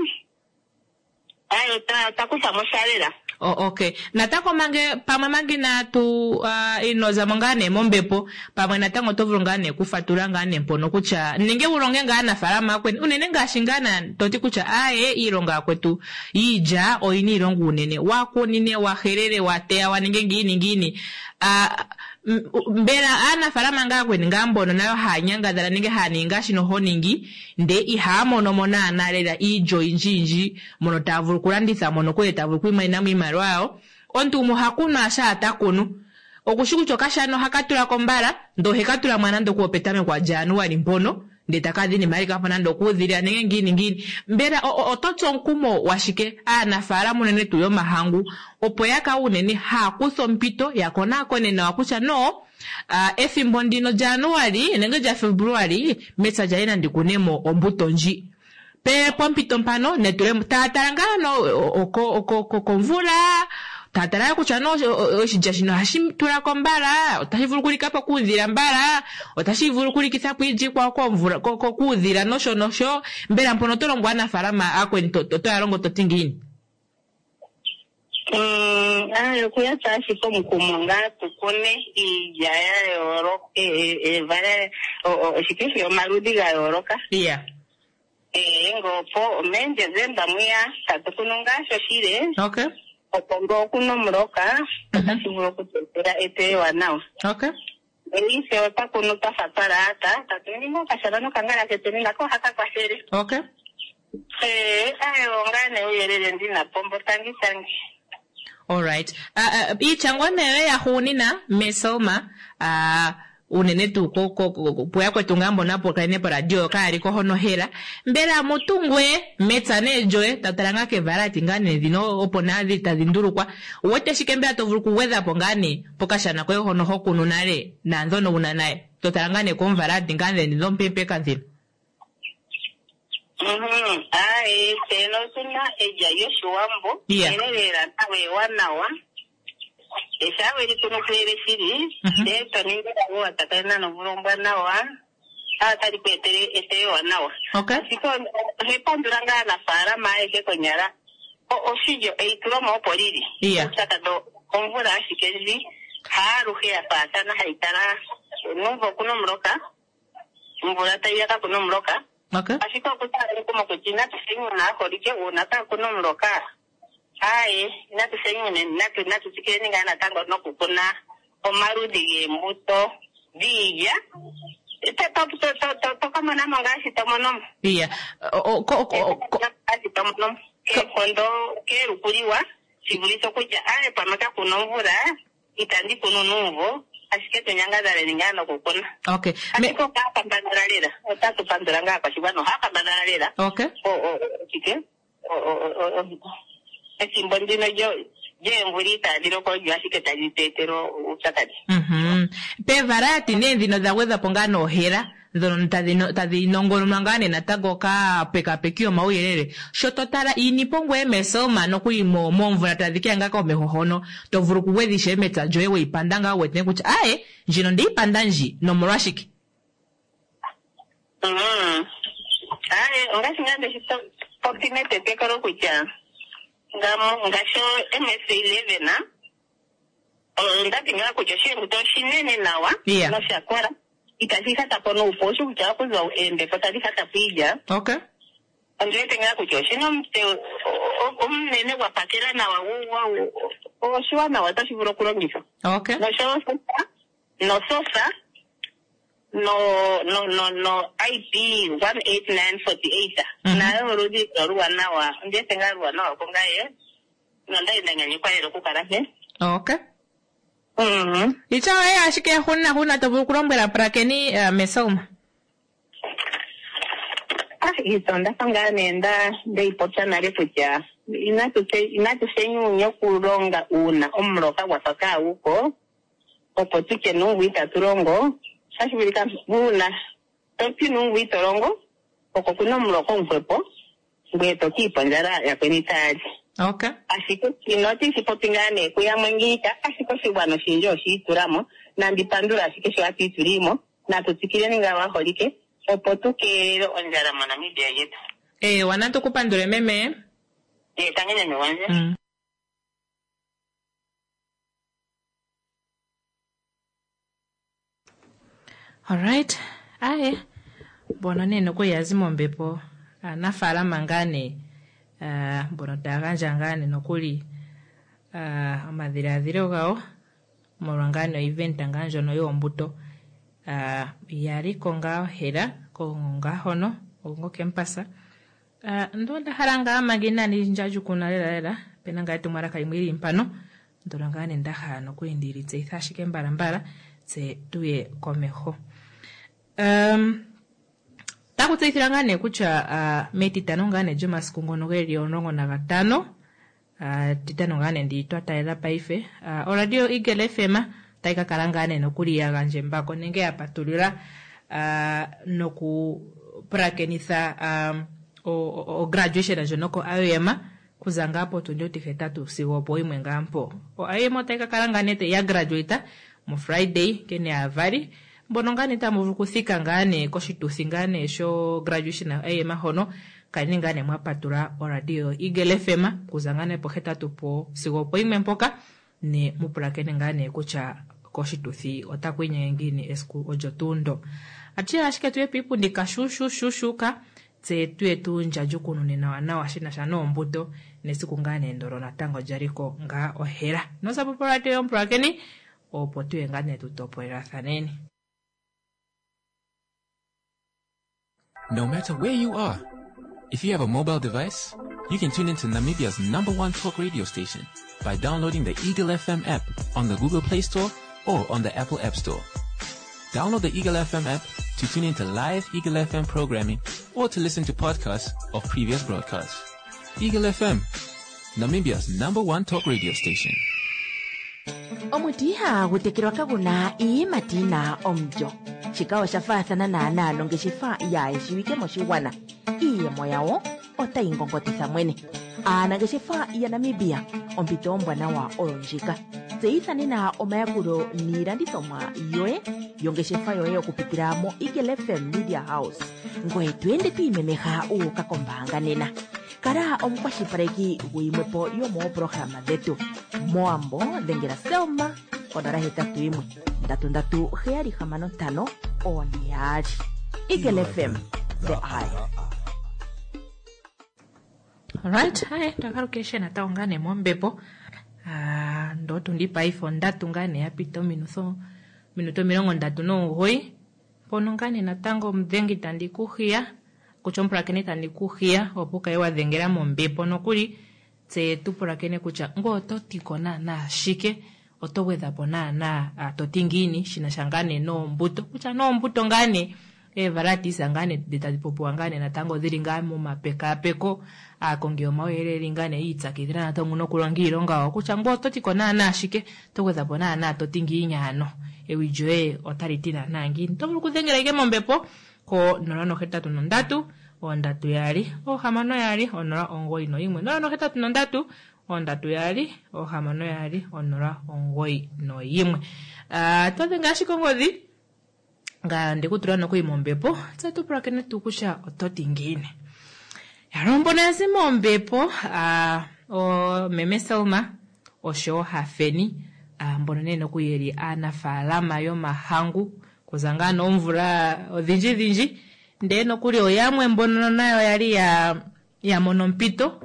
Ayo ota ota kutha mo sha lela. O, okay natango mange pamwe mange inatu uh, inozamo ngaa nee mombepo pamwe natango oto vulu ngaa nee kufatula ngaa nee mpono kutya nenge wu longe ngaa aanafalama akweni unene ngaashi ngaa na toti kutya aye iilonga yakwetu yiilya oyina iilonga unene wakunine wahelele wateya waninge ngiini ngiini Ah, m- mbela aanafalama ngaa akweni ngaa mbono nayo haya nyangadhala nenge haya ningi ngaashi noho ningi nde ihaya mono mo naana lela iilya oyindjiyindji mono taya vulu okulanditha mono kule taya vulu okwiimonena mo iimaliwa yawo omuntu gumwe oha kunu asha ta kunu okushi kutya okashana ohaka tula ko mbala ndee oheka tula mwa nande okuwo petameko lyaJanuali mpono ndee taka dhini mali kapo nande okuudhilila nenge ngiini ngiini mbela o- o- oto tsu omukumo washike aanafaalama unene tuu yomahangu opo ya kale unene haya kutha ompito ya konaakone nawa kutya no uh, ethimbo ndino lyaJanuali nenge lyaFebruali mepya lyaye nandi kune mo ombuto ndji pe pompito mpano netulemo taya tala ngaa no oko- oko- oko- komvula taya tala kutya no oshilya shino ohashi tula ko mbala otashi vulu okulika po kuudhila mbala otashi vulu okulikitha po iilya iikwawo komvula ko- ko- kuudhila nosho nosho mbela mpono oto longo aanafaalama aakweni to- to- toya longo to ti ngiini? Mm, ayi okuya tsa ashike omukumo ngaa tu kune iilya ya yooloka evala oshike omaludhi ga yooloka. Iya. Ee, ngopo meDesemba mwiya tatu kunu ngaa shoshile. Okay. Opo ngele okuna omuloka otashi vulu okutu etela eteyo ewanawa. Okay. Paife ota kunu twa fa twa laata, tatu ningi ngaa okashona nokangala ketu nako ohaka kwathele. Okay. Ee, ayo ngaa nee uuyelele ndina po mbo tangi tangi. Alright. Uh, uh, iitya ngoo nee yahugunina meSelma uh, unene tuu ko- ko- ko- puyakwetu ngaa mbono hapu poradio kaya li ko hono hela mbela mutungwe mepya nee lyoye tatala ngaa kevalati ngaa nee dhino opo naa dhili tadhi ndulukwa uwete shike mbela to vulu okugwedha po ngaa nee pokashana koye hono ho kunu nale naandhono wuna naye totala ngaa nee koomvalati ngaa nee dhompempeka ndhino. Mhm. Ayi, tse otuna elya lyoshiwambo. Yeah. Nkene lela nawa ewanawa. Shaa weli kunu kuyele shili, ndele to ningi elago wa tsakanena nomvula ombwanawa, otali ku etele eteyo ewanawa. Okay. Ashike ohe pandula ngaa aanafaalama ayehe konyala. O- Oshilyo eitulomo opo lili. Yeah. Uupyakadhi omvula ashike ndji, haaluhe ya faathana hayi kala nuumvo okuna omuloka, omvula tayi ya kakuna omuloka. Okay. Ashike okutala omukumo kutya inatu shenyuna aaholike uuna kaakuna omuloka. Aaye, inatu shenyune, natu natu tsikileni ngaa natango nokukuna omaludhi geembuto dhiilya. To- to- to- to- to- Toka monamo ngaashi to mono mo. Iya. O- o- ko- ko- ko- Ngaashi to mono mo. Keenkondo keelukuliwa shi vulithe okutya aaye pamwe kakuna omvula itandi kunu nuumvo ashike tu nyangadhaleni ngaa nokukuna. Okay. Me, Ashike ohaya kambadhala lela, otatu pandula ngaa aakwashigwana ohaya kambadhala lela. okay. O- o- o- shike O- o- o- o- ethimbo ndino lyo- lyoomvula itaadhi loko olyo ashike tali tu etele uupyakadhi. Mhm. Peevarayati nee ndhino dha gwedhwa po ngaa noohela ndhono tadhi no- tadhi nongononwa ngaa nee natango kaapekapeki yomauyelele sho to tala iinipo ngweye meSelma nokuli mo- moomvula tadhi keya ngaa komeho hono to vulu okugwedha ishewe mepya lyoye weyi panda ngaa wu wete kutya aye ndjino ndeyi panda ndji nomolwashike. Mhm. Aye, ongaashi ngaa ndeshi to- popi metetekelo kutya ngamo ngaashi o M S eleven onda ti ngaa kutya oshiembuto oshinene nawa Yeah. nosha kola itashi hata po nuupu osho kutya okuza oombepo tadhi hata po iilya. Okay. Ondi wete ngaa kutya oshina omutse o- o- omunene gwa pakela nawa gu- gwa- oshiwanawa otashi vulu okulongithwa. Okay. Noshowo sofa nosofa no no no no I P one eight nine forty eight Mhm. nayo oludhi oluwanawa ondi wete ngaa luwanawa kungaye nondali nda nyanyukwa lela okukala mpe. Okay. Mhm. Itya oye ashike huna huna to vulu okulombwela pulakeni uh, meSelma. Ah, iitsa onda fa ngaa nee nda ndeyi popya nale kutya inatu te- inatu shenyunya okulonga uuna omuloka gwa fa kaaguko opo tutye nuumvo itatu longo otashi vulika uuna toti nuumvo ito longo oko kuna omuloka omuhwepo ngweye to kiipa ondjala yakweni taya li. Okay. Ashike shino otishi popi ngaa nee kuyamwe ngiika ashike oshigwana oshindji oshiitulamo nandi pandula ashike sho hatu itulimo natu tsikileni ngaa waholike opo tu keelele ondjala moNamibia yetu. Ewa natu ku pandule meme. Ee, tangi meme gwandje. Mm. Alright. Aye. Mbono nee nokuli ya zi mombepo aanafaalama ngaa nee ah, mbono taya gandja ngaa nee nokuli ah, omadhiladhilo gawo molwa ngaa nee oevent ngaa ndjono yoombuto ah, yali ko ngaa hela ko ngaa hono ngo campus. Ah, ndo nda hala ngaa manga inaandi ndjadjukuna lela lela opena ngaa etumwalaka limwe lili mpano ndono ngaa nee nda hala nokuli ndili tseyitha ashike mbalambala tse tuye komeho. Um, taku tseyithilwa ngaa nee kutya uh, metitano ngaa nee lyomasiku ngono geli omulongo nagatano uh, titano ngaa nee ndi twa talela paife uh, oradio Eagle F M Otayi ka kala ngaa nee nokuli ya gandja embako nenge ya patulula ah, noku pulakenitha um, o, o, graduation ndjono ko I U M kuza ngaa potundi ontihetatu sigo opo yimwe ngaa mpo. O I U M otayi ka kala ngaa nee ya graduate mu Friday nkene aavali mbono ngaa nee tamu vulu okuthika ngaa nee koshituthi ngaa nee sho graduation ya I U M hono kaleni ngaa nee mwa patula oradio Eagle F M kuza ngaa nee pohetatu po sigo opo yimwe mpoka ne mu pulakene ngaa nee kutya koshituthi otaku inyenge ngiini esiku olyo tuu ndo. Atuye ashike tuye piipundi kashuushuushuushuka tse tuye tu ndjandjukunune nawa nawa shi na sha noombuto nesiku ngaa nee ndolo natango lyaliko ngaa ohela. Nosapo poradio yomupulakeni opo tuye ngaa nee tutopolelathaneni. No matter where you are, if you have a mobile device, you can tune into Namibia's number one talk radio station by downloading the Eagle F M app on the Google Play Store or on the Apple App Store. Download the Eagle F M app to tune into live Eagle F M programming or to listen to podcasts of previous broadcasts. Eagle F M, Namibia's number one talk radio station. Omuti ihagu tekelwa kaguna iiyimati yina omulyo. Shika osha faathana naanaa nongeshefa yaayeshiwike moshigwana. Iiyemo yawo otayi ngongotitha mwene. Aanangeshefa yaNamibia, ompito ombwanawa oyo ndjika. Tseyitha nena omayakulo niilandithomwa yoye yongeshefa yoye okupitila mo Eagle F M Media House. Ngoye to ende to imemeha wu uka kombaanga nena. Kala omukwashilipaleki guyimwepo yomooprograma dhetu. Moambo dhengela Selma konola hetatu yimwe ndatu ndatu heyali hamano ntano one yaali. Eagle F M, the eye. Alright, hi, twakalukeshe natango ngaa nee mombepo. Ah, ndo tundi paife ondatu ngaa nee ya pita ominutho, minuto omilongo ndatu nomugoyi. Mpono ngaa nee natango omudhengi tandi ku hiya, kutya omupulakeni tandi ku hiya, opo wu kale wa dhengela mombepo nokuli tse tu pulakene kutya ngoye oto ti ko naanaa shike, oto gwedha po naanaa, ah, to ti ngiini shi na sha ngaa nee noombuto, kutya noombuto ngaa nee eevaratisa ngaa nee dhi tadhi popiwa ngaa nee natango dhili ngaa momapekapeko, aakongi yomauyelele ngaa nee yi ipyakidhila natango nokulonga iilonga yawo, kutya ngoye oto ti ko naanaa shike, oto gwedha po naanaa to ti ngiini ano, ewi lyoye otali ti naanaa ngiini. Oto vulu okudhengela ike mombepo ko nola nohetatu nondatu, ondatu yaali, ohamano yaali, onola omugoyi noyimwe. Nola nohetatu nondatu, ondatu yaali, ohamano yaali, onola omugoyi noyimwe. Ah, to dhenge ashike ongodhi, nga ndikutula nokuli mombepo, tse tu pulakene tuu kutya oto ti ngiini. Yalwe mbono ya zi mombepo, ah, o meme Selma oshowo Hafeni, ah, mbono nee nokuli yeli aanafaalama yomahangu kuza ngaa noomvula odhindji dhindji, ndee nokuli oyamwe mbono nayo yali ya, ya mono ompito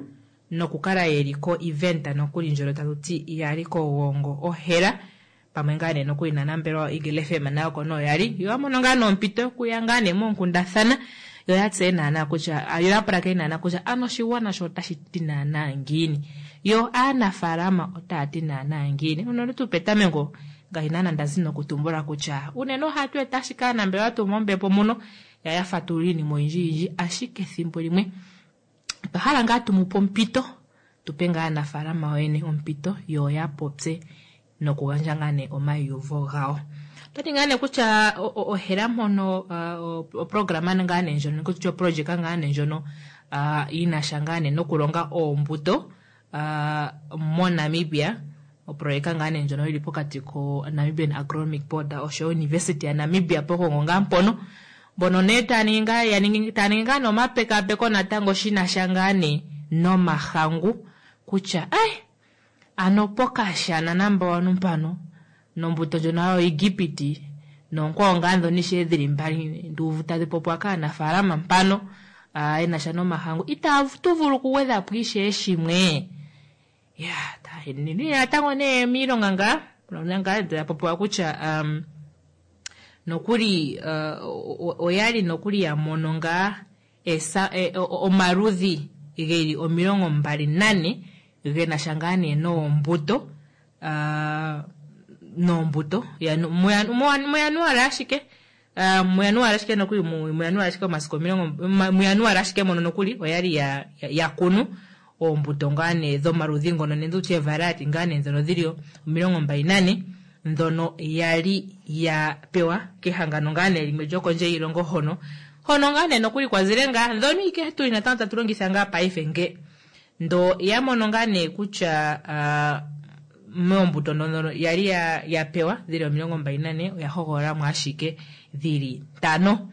nokukala yeli ko event nokuli ndjono tatu ti yali kogongo ohela pamwe ngaa nee nokuli nanambelwa Eagle F M nayo kono yali yo ya mono ngaa noompito yokuya ngaa nee moonkundathana, yo ya tseye naanaa kutya, yo ya pulakene naanaa kutya ano oshigwana sho otashi ti naanaa ngiini, yo aanafaalama otaya ti naanaa ngiini. Unene tuu petameko ngaashi naanaa nda zi nokutumbula kutya unene ohatu eta ashike aanambelewa tuu mombepo muno ya ya fatulula iinima oyindji yindji, ashike ethimbo limwe otwa hala ngaa tu mu pe ompito, tu pe ngaa aanafaalama yoyene ompito yo ya popye nokugandja ngaa nee omaiyuvo gawo. Otwa ti ngaa nee kutya o-, o-, ohela mpono, uh, oprograma ngaa nee ndjono, kutya oprojeka ngaa nee ndjono, uh, yi na sha ngaa nee nokulonga oombuto, uh, moNamibia, oprojeka ngaa nee ndjono yili pokati ko Namibian Agronomic Board oshowo University ya Namibia pokongo ngaa mpono. Mbono nee taya ningi ngaa, ya ningi, taya ningi ngaa nee omapekapeko natango shi na sha ngaa nee nomahangu kutya, ai, ano pokashana namba wanu mpano nombuto ndjono hayo Egipiti noonkwawo ngaa ndhono ishewe dhili mbali nduuvu tadhi popiwa kaanafaalama mpano, ah, ye na sha nomahangu, itatu vulu okugwedha po ishewe shimwe. Ya, ta-, nini natango nee miilonga ngaa, ngaa ngaa popiwa kutya, um, nokuli, uh, o-, o-, oyali nokuli ya mono ngaa esa-, e, o-, o-, omaludhi geli omilongo mbali nane ge na sha ngaa nee noombuto, ah, noombuto, ya, no, mu ya-, mu ya-, mu Januari ashike, ah, mu Januari ashike nokuli, mu, mu Januari ashike omasiku omilongo, ma-, mu Januari ashike mono nokuli, oyali ya, ya, ya kunu oombuto ngaa nee dhomaludhi ngono, nenge tutye variety ngaa nee ndhono dhili omilongo mbali nane ndhono yali ya pewa kehangano ngaa nee limwe lyokondje yiilongo hono hono ngaa nee nokuli kwazile ngaa ndhono ike tuli natango tatu longitha ngaa paife nge ndo ya mono ngaa nee kutya ah, moombuto ndhono yali ya, ya pewa dhili omilongo mbali nane oya hogololamo ashike dhili ntano.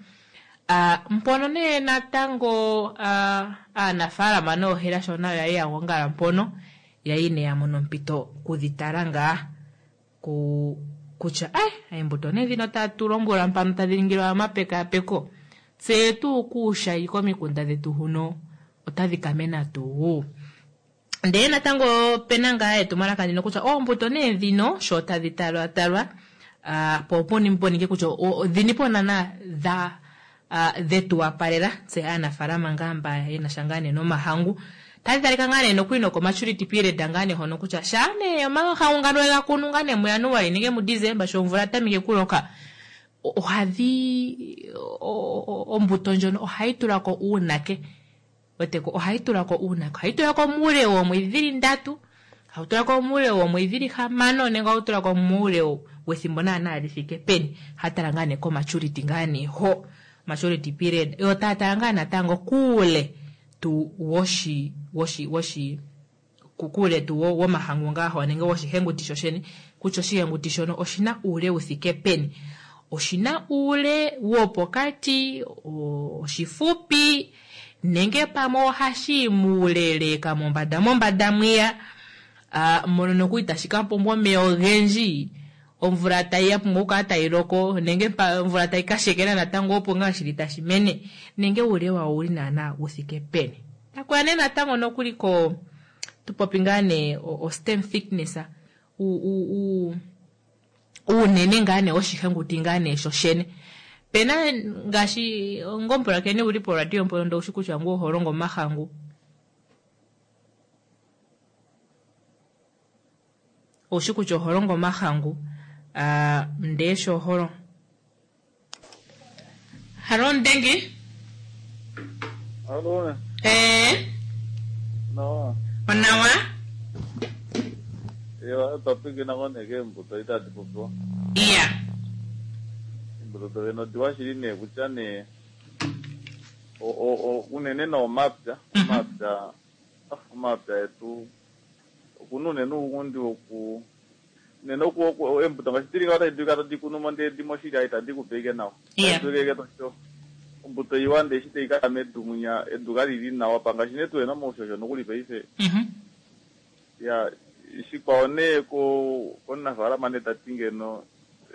Ah, mpono nee natango ah, aanafaalama noohela sho nayo yali ya gongala mpono yali nee ya mono ompito kudhitala ngaa ku kutya ai eembuto nee dhino tatu lombwelwa mpano tadhi ningilwa omapekapeko tse tuu kuushayi komikunda dhetu huno otadhi kamena tuu. Ndee natango opena ngaa etumwalaka ndino kutya oombuto nee dhino sho tadhi talwatalwa ah, po opuni poninge kutya o- odhini po naana dha ah, dhetu wapalela tse aanafaalama ngaa mba yena sha ngaa nee nomahangu tadhi talika ngaa nee nokuli nokomaturity period ngaa nee hono kutya shaa nee omahangu ngano we ga kunu ngaa nee muJanuali nenge muDesemba sho omvula tameke kuloka o- ohadhi o- o- ombuto ndjono ohayi tulako uunake weteko ohayi tulako uunake ohayi tulako muule woomwedhi dhili ndatu hawu tulako muule woomwedhi dhili hamano nenge ohawu tulako muule wethimbo naana li thike peni hatala ngaa nee komaturity ngaa nee ho maturity period yo taya tala ngaa natango kuule tu woshi woshi woshi kuule tu wo- womahangu ngaa ho nenge woshihenguti shoshene kutya oshihenguti shono oshina uule wu thike peni oshina uule wopokati o- oshifupi nenge pamwe ohashi muuleleka mombanda mombanda mwiya ah, mono nokuli tashi ka pumbwa omeya ogendji omvula tayi ya pumbwa okukala tayi loko nenge pa- omvula tayi ka shekela natango opo ngaa shili tashi mene nenge uule wawo owuli naana wu thike peni takuya nee natango nokuli ko tupopi ngaa nee o, o stem thickness u, u, u, uunene ngaa nee woshihenguti ngaa nee shoshene pena ngaashi ngompulakeni wuli poradio mpono ndo ushi kutya ngu oho longo omahangu oushi kutya oho longo omahangu ah, ndee sho oho longo halo ndengi Alô, ee nawa. onawa Eu twapwikina koneke embuto itadi popiwa. iya Embuto dovene odiwa shili nee kutya nee o- o- o- unene noomapya omapya ah, omapya etu okuna unene uungundi woku unene oku oku- embuto ngaashi dili ngaho tadi dulika tadi kunu mo ndee dimo shili itadi kupe ike nawa. Iya. Tadi dulika ike tosho ombuto iwa ndee eshi tayi kaya medu mwinya edu kalili nawa pangaashi nee tuwena moushosho nokuli paife Mhm. ya shikwao nee ko komunafaalama nee tati ngeno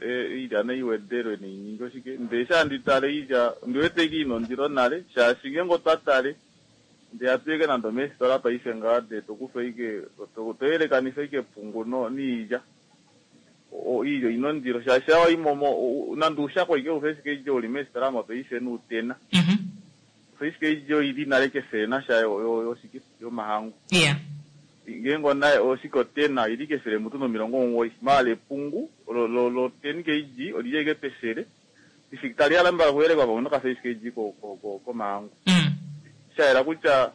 e, iilya nei wedelwe neiningi oshike ndee sha ndi tale iilya ondiwete ike ina ondilo nale shaashi ngenge otwa tale ndee atu ike nande omeesitola paife ngaa ndee tokufa ike to- toyelekanitha ike epungu no- niilya O- iilya oyina ondilo shaashi awa imomo nande uushako ike ufa ashike iilya uli meesitola mo paife nuutena Mhm. ufa ashike iilya oyili nale kefele nasha yo- yo- yoshike yomahangu iya ngenge ona oshike otena ili kefele mutu nomilongo omugoyi maala epungu lo- lo lo ten kg olili ike pefele tali yala mbala kuyelekwa pamwe noka-five kg ko- ko- ko- komahangu Mm. shayela kutya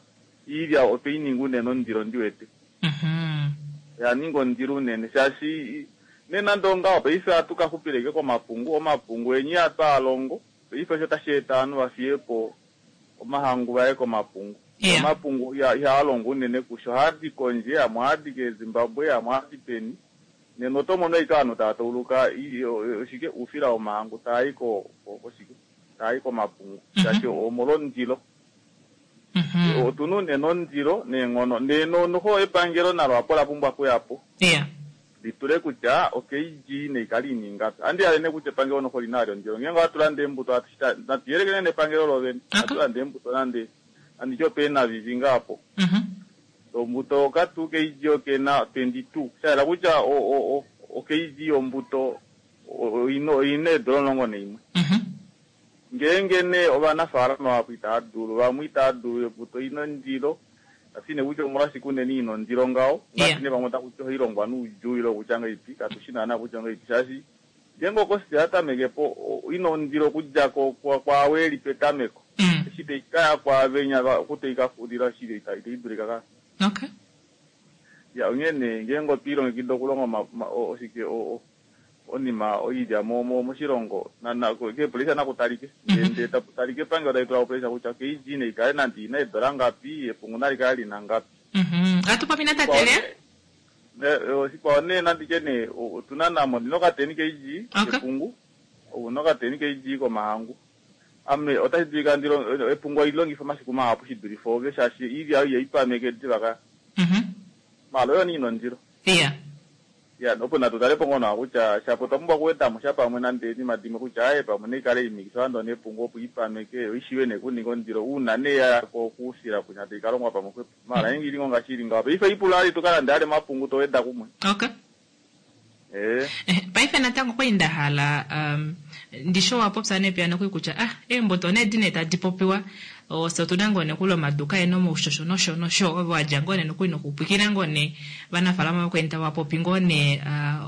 iilya otweyi ninga unene ondilo ndiwete Mhm. ya ninga ondilo unene shaashi ne nande ongaho paife ohatu ka xupileke komapungu omapungu enyi atwaalongo paife osho tashi eta ovanhu vafiye po omahangu vaye komapungu Iya. omapungu iha- ihaa longo unene kusho ohaadi kondje amwe ohaadi kezimbabwe amwe ohaadi peni nena oto mono ike ovanhu tava tauluka i- o- oshike uufila womahangu taayi ko ko- koshike taayi komapungu shaashi omolwondilo Mhm. otuna unene ondilo neenghono ndee no- noho epangelo nalo apo la pumbwa okuyapo iya litule kutya okg neikale ina ingapi andi yale ne kutya epangelo noho lina ali ondilo ngenge ohatu landa eembuto hatu shita- natu yelekene nepangelo lovene Okay. hatu landa eembuto nande anditye opeena vivi ngaapo Mhm. ombuto okatu kg okena twenty two shayela kutya o- o- o- okg yombuto o- oyina oyina eedola omulongo naimwe Mhm. ngeenge nee ovanafaalama vapo itava dulu vamwe itava dulu embuto ina ondilo kasine kutya omolwashike unene ina ondilo ngaho Yeah. ngaashi nee vamwe takuti ohailongwa nuudjuu ile kutya ngaipi katushi naana kutya ngaipi shaashi ngeenge okosi yatameke po o- ina ondilo okudja ko- kwa- kwaavo eli petameko Mm. eshi taikaya kwaavenya va- oku taikafulila shili ita- itaidulika ka Okay. ya onghee nee ngeenge otwiilongekida okulonga oma- ma- o- oshike o- o- onima oilya mo- mo- moshilongo na- na- keepressure naku talike ndee ndee tapu talike epangelo tali tula opressure kutya kg neikale nande ina eedola ngapi epungu nali kale lina ngapi Mhm. Atu popi natate ne? Ne- eh, oshikwao nee nanditye nee o- otuna namo ndina okateni kg epungu ouna okateni kg komahangu ame otashi dulika ndilo epungu alilongifa omasiku mahapu shidulife ove shaashi iilya oyo ihaipameke diva ka maala oyo nee ina ondilo iya ya opo natu tale po ngoo nawa kutya shapo otwa pumbwa okuwedamo sha pamwe nande oinima dimwe kutya aaye pamwe naikale imikiswa nande onepungu opo ipameke yo ishiwe nee kuninga ondilo uuna nee ya kokusila kunya tai kalongwa pamwe xwepo maala nge ili ngoo ngaashi ili ngaho paife ipula ali tukalande ale omapungu toweda kumwe Okay. ee Paife natango kwali nda hala um, ndisho wapopya nee piya nokuli kutya ah eembuto nee dine tadi popiwa ose otuna ngoo nee kuli omaduka ena omaushosho nosho nosho ove wadja ngoo nee nokuli nokupwikina ngoo nee vanafaalama vakweni tava popi ngoo nee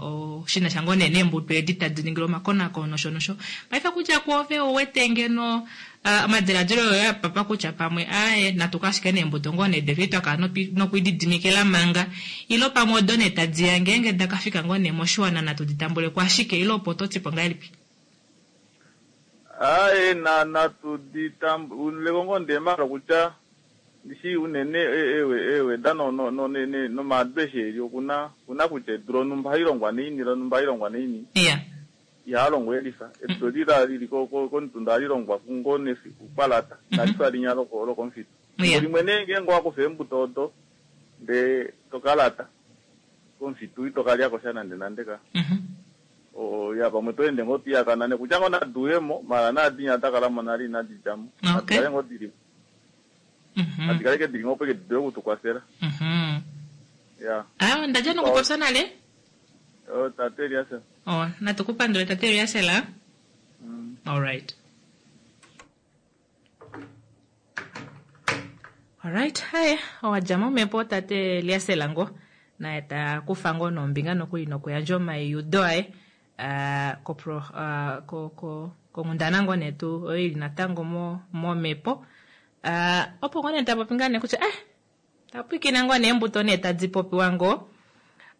uh, shinasha ngoo nee neembuto edi tadi ningilwa omakonakono nosho nosho paife kutya kwoove ouwete ngeno uh, omadiladilo oyo apapa kutya pamwe aaye natuka ashike neembuto ngoo nee detu twakala nopi- nokwididimikila manga ilo pamwe odo nee tadiya ngeenge dakafika ngoo nee moshiwana natu ditambuleko ashike ilo opo totipo ngahelipi aaye na natu ditambuleko ngoo ndee maala kutya ndishi unene e- ewe eweda no no no ne- ne- nomaadu eshi eli okuna okuna kutya edu lonumba ohali longwa naini lonumba ohali longwa naini iya ihaa longwa elifa edu lila lili ko- ko- komutunda ohali longwa ngoo nefiku kwalata nalifa linya loko lokomufitu Iya. limwe nee ngeenge owakufa eembuto odo ndee tokalata komufitu itokalyako sha nande nande ka O- ya pamwe toende ngoo toiyakana nekutya ngoo naduyemo maala naadinya dakalamo nale inadi djamo Okay. nadikale ngoo dili nadikale ke dili ngoo opo ke didule okutukwafela Mhm. ya Ah, ndadja nokupopya nale O, tate Elias oh, natukupandule tate Eliasela alright alright haye owadja momhepo tate Eliasela ngo naye takufa ngoo nombinga nokuli nokuyandja omaiudo aye ah, kopro ah, ko ko konghundana ngoo netu oyo ili natango mo momhepo Ah, opo ngoo nee tapopi ngaa nee kutya eh tapwikina ngoo neembuto nee tadi popiwa ngoo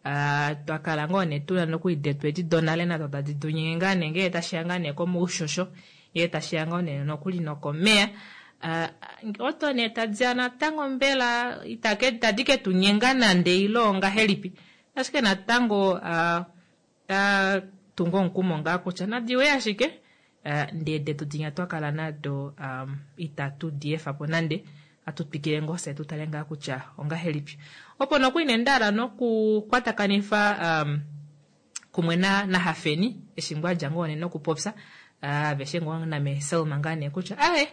Ah, twakala ngoo nee tuna nokuli detu edi donale nado tadi tunyenge ngaa nee ngee tashiya ngaa nee komaushosho ngee tashiya ngoo nee nokuli nokomeya Ah, oto nee tadiya natango mbela itake tadi ke tu nyenga nande ile ongahelipi ashike natango ah, ta tunga omukumo ngaa kutya nadiwe ashike ah, ndee detu dinya twakala nado um, itatu di efapo nande atu twikile ngoo fye tutale ngaa kutya ongahelipi opo nokuli nee ndahala nokukwatakanifa um, kumwe na nahafeni eshi ngoo adja ngoo nee nokupopya ah, aveshe ngoo name Selma ngaa nee kutya aye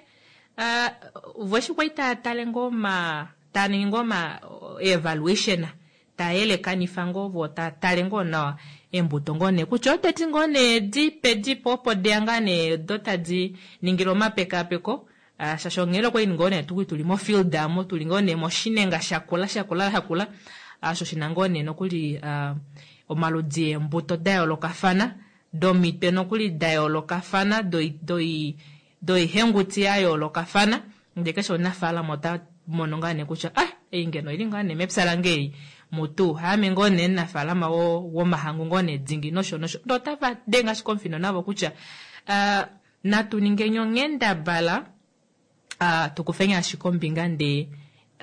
ah, vo eshi kwali taya tale ngoo ma taya ningi ngoo ma evaluation taya yelekanifa ngoo vo taya tale ngoo nawa eembuto ngoo nee kutya odedi ngoo nee dipe dipe opo deya ngaa nee do tadi ningilwa omapekapeko Ah, shaashi onghele okwali ngoo nee tukuli tuli mofield amo tuli ngoo nee moshinenga shakula shakula shakula osho shina ngoo nee nokuli ah, omaludi eembuto da yoolokafana domitwe nokuli da yoolokafana doi- doi doihenguti ya yoolokafana ndee keshe omunafaalama ota mono ngaa nee kutya ah ei ngeno ili ngaa nee mepya lange ei mutu haame ngoo nee omunafaalama wo- womahangu ngoo nee dingi nosho nosho ndee otava denge ashike omufino navo kutya ah, natu ningeni onghendabala ah, tukufeni ashike ombinga ndee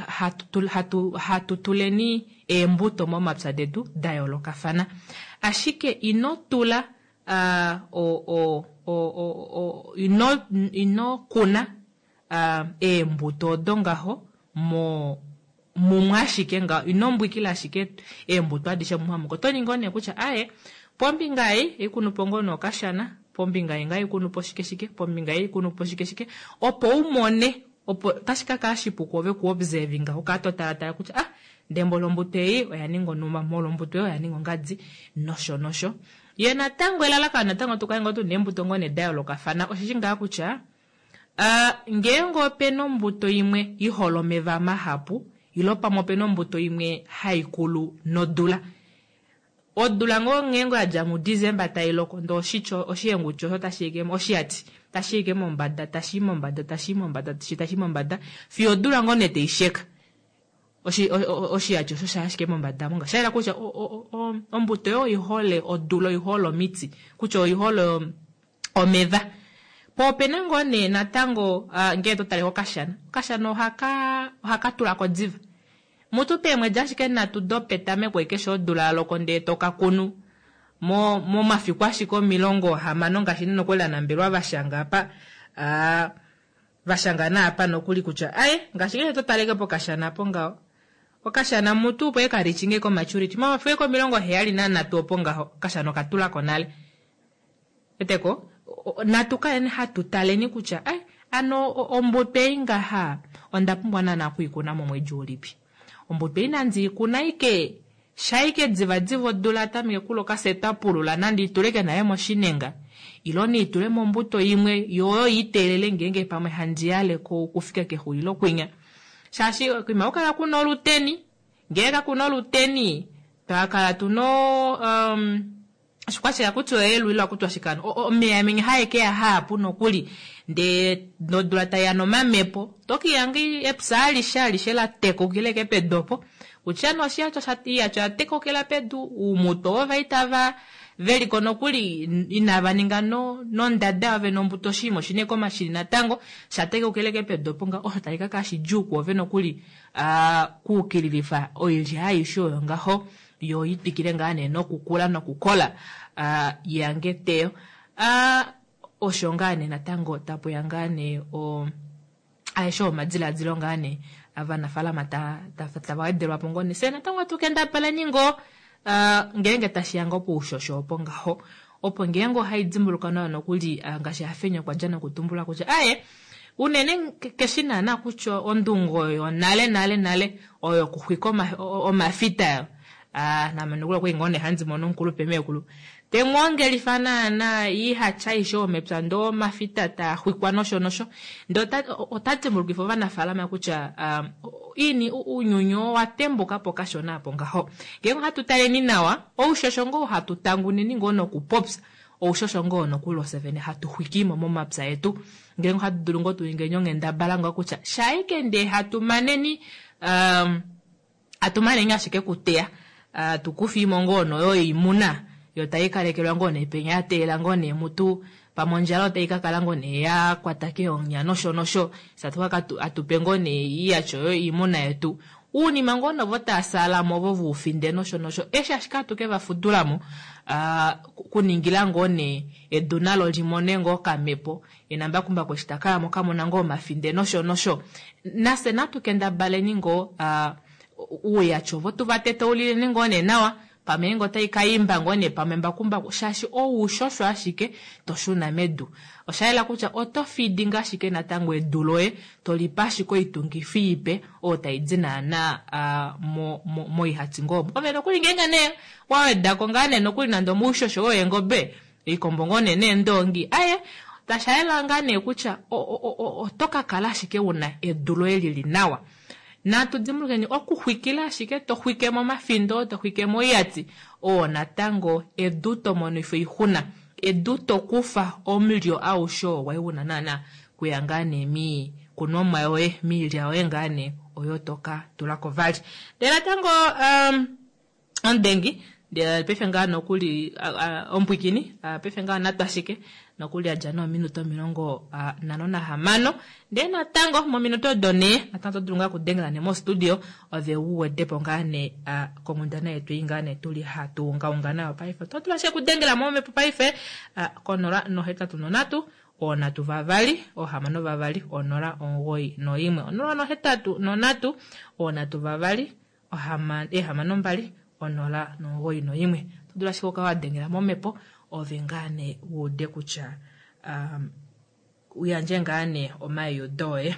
hatu, hatu, hatu tuleni eembuto momapya detu da yoolokafana ashike ino tula ah, o, o, o, o, o, ino, ino kuna ah, eembuto odo ngaho mo mumwe ashike ngaho ino mbwikila ashike eembuto adishe mumwe amuke oto ningi nee kutya aye pombinga ei ikunupo ngoo nookashana pombinga ei ngaa ikunupo shike shike pombinga ei ikunupo shike shike opo umone opo otashi ka kala shipu kwoove kuobservinga ukala totalatala kutya ah ndee mboli ombuto ei oya ninga onuma molo ombuto ei oya ninga ongadi nosho nosho ye natango elalakano natango tukale ngoo tuna eembuto ngoo nee da yoolokafana osheshi ngaa kutya Ah, ngeenge opena ombuto imwe ihole omeva mahapu ilo pamwe opena ombuto imwe haikulu nodula odula ngoo ngeenge yadja muDecember tailoko ndee oshityo oshihenguti osho tashiike oshiyati tashiike mombada tashii mombada tashii mombada tashii mombada fiyo odula ngoo nee taisheka Oshi oshiyati osho sha ashike mombada monga shayela kutya ombuto yo oihole odula oihole omiti kutya oihole omeva. Po opena ngoo nee natango ngee to tale kokashana, okashana ohaka ohaka tulako diva. Mutu peemwedi ashike nhatu dopetameko keshe odula yaloko ndee toka kunu mo momafiku ashike omilongo hamano ngaashi nokuli anambelwa vashanga apa aa vashanga naapa nokuli kutya aye ngaashi ngee to taleke pokashana po ngaho okashana mutu opo eka reachinge ko maturity momafiku eke omilongo heyali nanhatu opo ngaho okashana okatulako nale. Eteko natu kaleni hatu taleni kutya ai ano ombuto ei ngaha onda pumbwa naana okuikuna momwedi ulipi. Ombuto ei nandi ikuna ike shaike diva diva odula tameke kuloka fye twapulula nandi ituleke nale moshinenga ilo niitule mombuto imwe yo oyo iteelele ngeenge pamwe handi yale okufika kexulilo kwinya. Shaashi kuima kukala kuna oluteni, ngee kakuna oluteni twakala tuna um, oshikwashika kutya oyeelu kutya oshikano omeya menya haekeya haapu nokuli ndee nodula taiya nomamepo tokihanga epya alishe alishe la tekukile ke pedu opo kutya nee oshiyacho iyacho ya tekukila pedu uumutwe ovo vaitava veliko nokuli inava ninga no nondada yove nombuto oshinima oshine komashini natango shatekukile ke pedu opo nga osho tashi kakala shidjuu kuove nokuli kuukililifa oilya aishe oyo ngaho yo itwikile ngaa nee nokukula nokukola uh, yange teyo. Uh, osho ngaa nee natango tapuya ngaa nee o aeshe omadiladilo ngaa nee ovanafaalama tava wedelwapo ngoo nee fye natango atu kendabala ngoo uh, ngeenge tashiya ngoo poushosho opo ngaho opo ngeenge ohai dimbuluka nawa nokuli uh, ngaashi Hafenya okwa dja nokutumbula kutya aye unene keshi naana kutya ondungo yonale nale nale oyo okuxwika omafita yo. Ah, name nokuli okwali ngoo nee handi mono omukulupe meekulu temwoongelifa naana ihatya aishe omepya ndoo omafita taa xwikwa nosho nosho ndee ota dimbulukifa ovanafaalama kutya um, ini uunyuni owa tembuka po kashona apo ngaho. Ngeenge ohatu taleni nawa oushosho ngoo hatu tanguneni ngoo nokupopya oushosho ngoo nokuli ofye vene hatu xwikimo momapya etu. Ngeenge ohatu dulu ngoo tuningeni onghendabala ngoo kutya shaike ndee hatu maneni um, hatu maneni ashike kuteya uh, tukufiimo ngoo noyo oimuna yo tai kalekelwa ngoo nee penya ya teelela ngoo nee mutu pamwe ondjala otai kakala ngoo nee ya kwata keonya nosho nosho satu atupe ngoo nee iyatyo yo iimuna yetu uunima ngoo novo taasalamo ovo vuufinde nosho nosho eshi ashike atuke vafudulamo uh, kuningila ngoo nee edu nalo limone ngoo okamepo enambakumbaku eshi takayamo kamona ngoo omafinde nosho nosho nafye natu kendabaleni ngoo uh, uuyatyo ovo tuvateteulileni ngoo nee nawa pamwe ngoo otai kaimba ngoo nee pamwe mbakumbaku shaashi oushosho ashike toshuna medu. Oshayela kutya oto fidinga ashike natango edu loye tolipa ashike oitungifi ipe oyo taidi naana uh, mo, mo, moihati ngoo omo. Ove nokuli ngeenge nee wawedako ngaa nee nokuli nande omoushosho weengobe oikombo ngoo nee neendoongi aye tashayela ngaa nee kutya oto kakala ashike una edu loye lili nawa. Natu dimbulukeni okuxwikila ashike to xwike momafindo to xwike moiyati oo natango edu to monifa oixuna edu to kufa omulyo aushe oo wai una naana kuya ngaa nee miikunomwa yoye miilya yoye ngaa nee oyo toka tulako vali. Ndele natango um, omudengi ndele paife ngaa nokuli ompwikini paife ngaa natu ashike nokuli adja noominute omilongo nhano nahamano ndee natango mominute odo nee natango oto dulu ngaa okudengela nee mostudio ove uwedepo ngaa nee konghundana yetu ei ngaa nee tuli hatu ungaunga nayo paife. Oto dulu ashike okudengela momhepo paife konola nohetatu nonhatu oonhatu vavali oohamano vavali onola omugoyi noimwe onola nohetatu nonhatu oonhatu vavali eehamano mbali onola nomugoyi noimwe. Oto dulu ashike okukala wadengela momhepo ove ngaa nee wuude kutya um, uyandje ngaa nee omaiudo oye.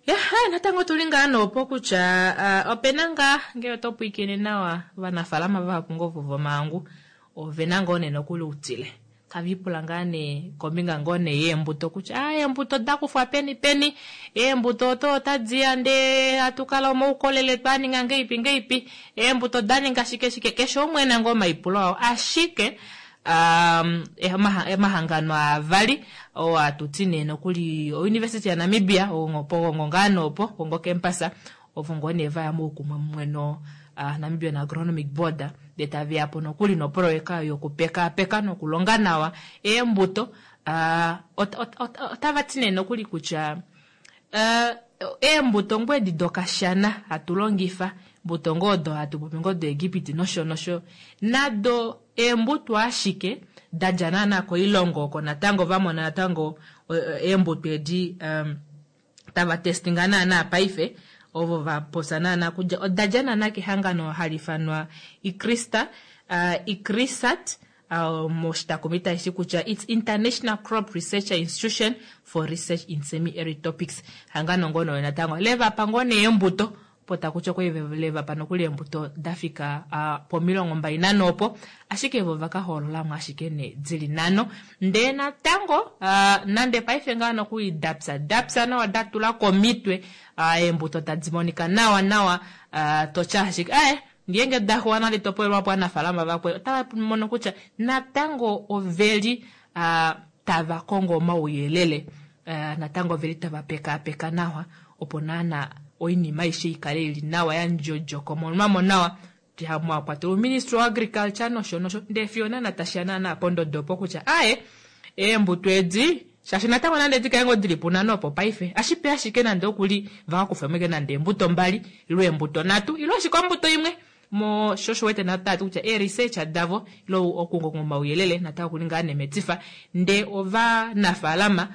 Ya, natango tuli ngaa noopo kutya uh, opena ngaa ngee oto pwiikine nawa ovanafaalama vahapu ngoo ovo vomahangu ovena ngoo nee nokuli outile tavipula ngaa nee kombinga ngoo nee yeembuto kutya ah, eembuto dakufwa peni peni eembuto oto otadiya ndee hatukala omoukolele twaninga ngeipi ngeipi eembuto daninga shike shike keshe umwe ena ngoo omaipulo ao ashike um, emahangano avali oo atuti nee nokuli ouniversity ya Namibia opo Gongo ngaa noopo Gongo campus Ovo ngoo nee vaya moukumwe mumwe no uh, Namibian Agronomic Board ndee taveyapo nokuli noproyeka yokupekaapeka nokulonga nawa eembuto. Uh, otava ti nee nokuli kutya uh, eembuto ngoo edi dokashana hatu longifa, mbuto ngoo odo hatu popi ngoo doEgipiti nosho nosho, nado eembuto ashike dadja naana koilongo oko natango vamona natango eembuto edi um, tava testinga naana paife ovo vapopya naana kutya odadja naana kehangano hali ifanwa Icrista, uh, Icrisat uh, moshitakumi tashi kutya it's International Crop Research Institution for Research in Semi-Arid Topics. Hangano ngono natango levapa ngoo nee eembuto opo takutya okwa levapa nokuli eembuto dafika uh, pomilongo mbali nanho opo, ashike vo vakahoololamo ashike ne dili nhano. Ndee natango uh, nande paife ngaa nokuli dapya dapya nawa datula komitwe uh, eembuto tadi monika nawa nawa uh, totya ashike aye ngeenge daxuwa nande topolelwapo aanafalama vakwe otava mono kutya natango oveli uh, tava kongo omauyelele uh, natango oveli tava pekaapeka nawa opo naana oinima aishe ikale ili nawa yandjodjokomonwamo nawa mwakwatelwa uministry wa agriculture nosho nosho ndee fiyo naana tashiya naana pondodo opo kutya aye eembuto edi shaashi natango nande dikale ngoo dili punano opo paife ashipe ashike nande okuli vakakufemo ike nande eembuto mbali ilo eembuto nhatu ilo ashike ombuto imwe mo sho osho wete natati kutya ee-research davo ilo okukonga omauyelele natango kuli ngaa nemetifa ndee ovanafaalama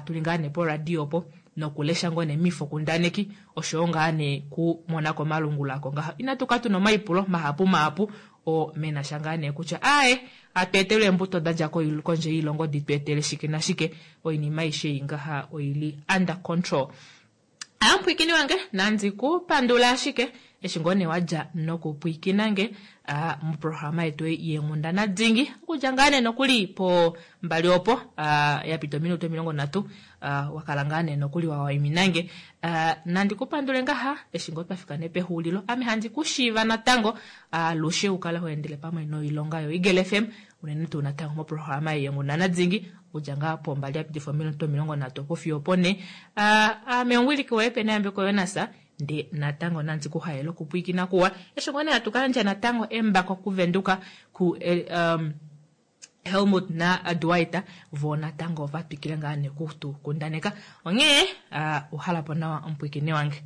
tuli ngaa nee poradio opo nokulesha ngoo nee miifokundaneki oshowo ngaa nee kumona komalungula ako ngaha. Inatu kala tuna omaipulo mahapu mahapu oo menasha ngaa nee kutya aaye hatu etelwe eembuto dadja kondje yoilongo di tu etele shike nashike, oinima aishe ei ngaha oili under control. Amupwiikini wange nandi kupandula ashike eshi ngoo nee wadja nokupwiikina nge uh, muprograma yetu yeenghundana dingi okudja ngaa nee nokuli po mbali opo uh, yapita ominute omilongo nhatu uh, wakala ngaa nee nokuli wawaiminange uh, nandi kupandule ngaha eshi ngoo twafika nee pexuulilo. Ame handi kushiiva natango alushe uh, ukale hoendele pamwe noilonga yo Eagle F M unene tuu natango moprograma yeenghundana dingi okudja ngaa po mbali yapitifa ominute omilongo nhatu opo fiyo opo ne. Uh, ame omuwiliki woye pena yambeko Jonas nde natango nandi kuhaela okupwiikina kuwa eshi ngoo nee hatu kayandja natango embako kuvenduka ku eh, um, Helmut na Dwight vo natango vatwikile ngaa nee kutukundaneka. Onghee uh, uhalapo nawa omupwiikini wange.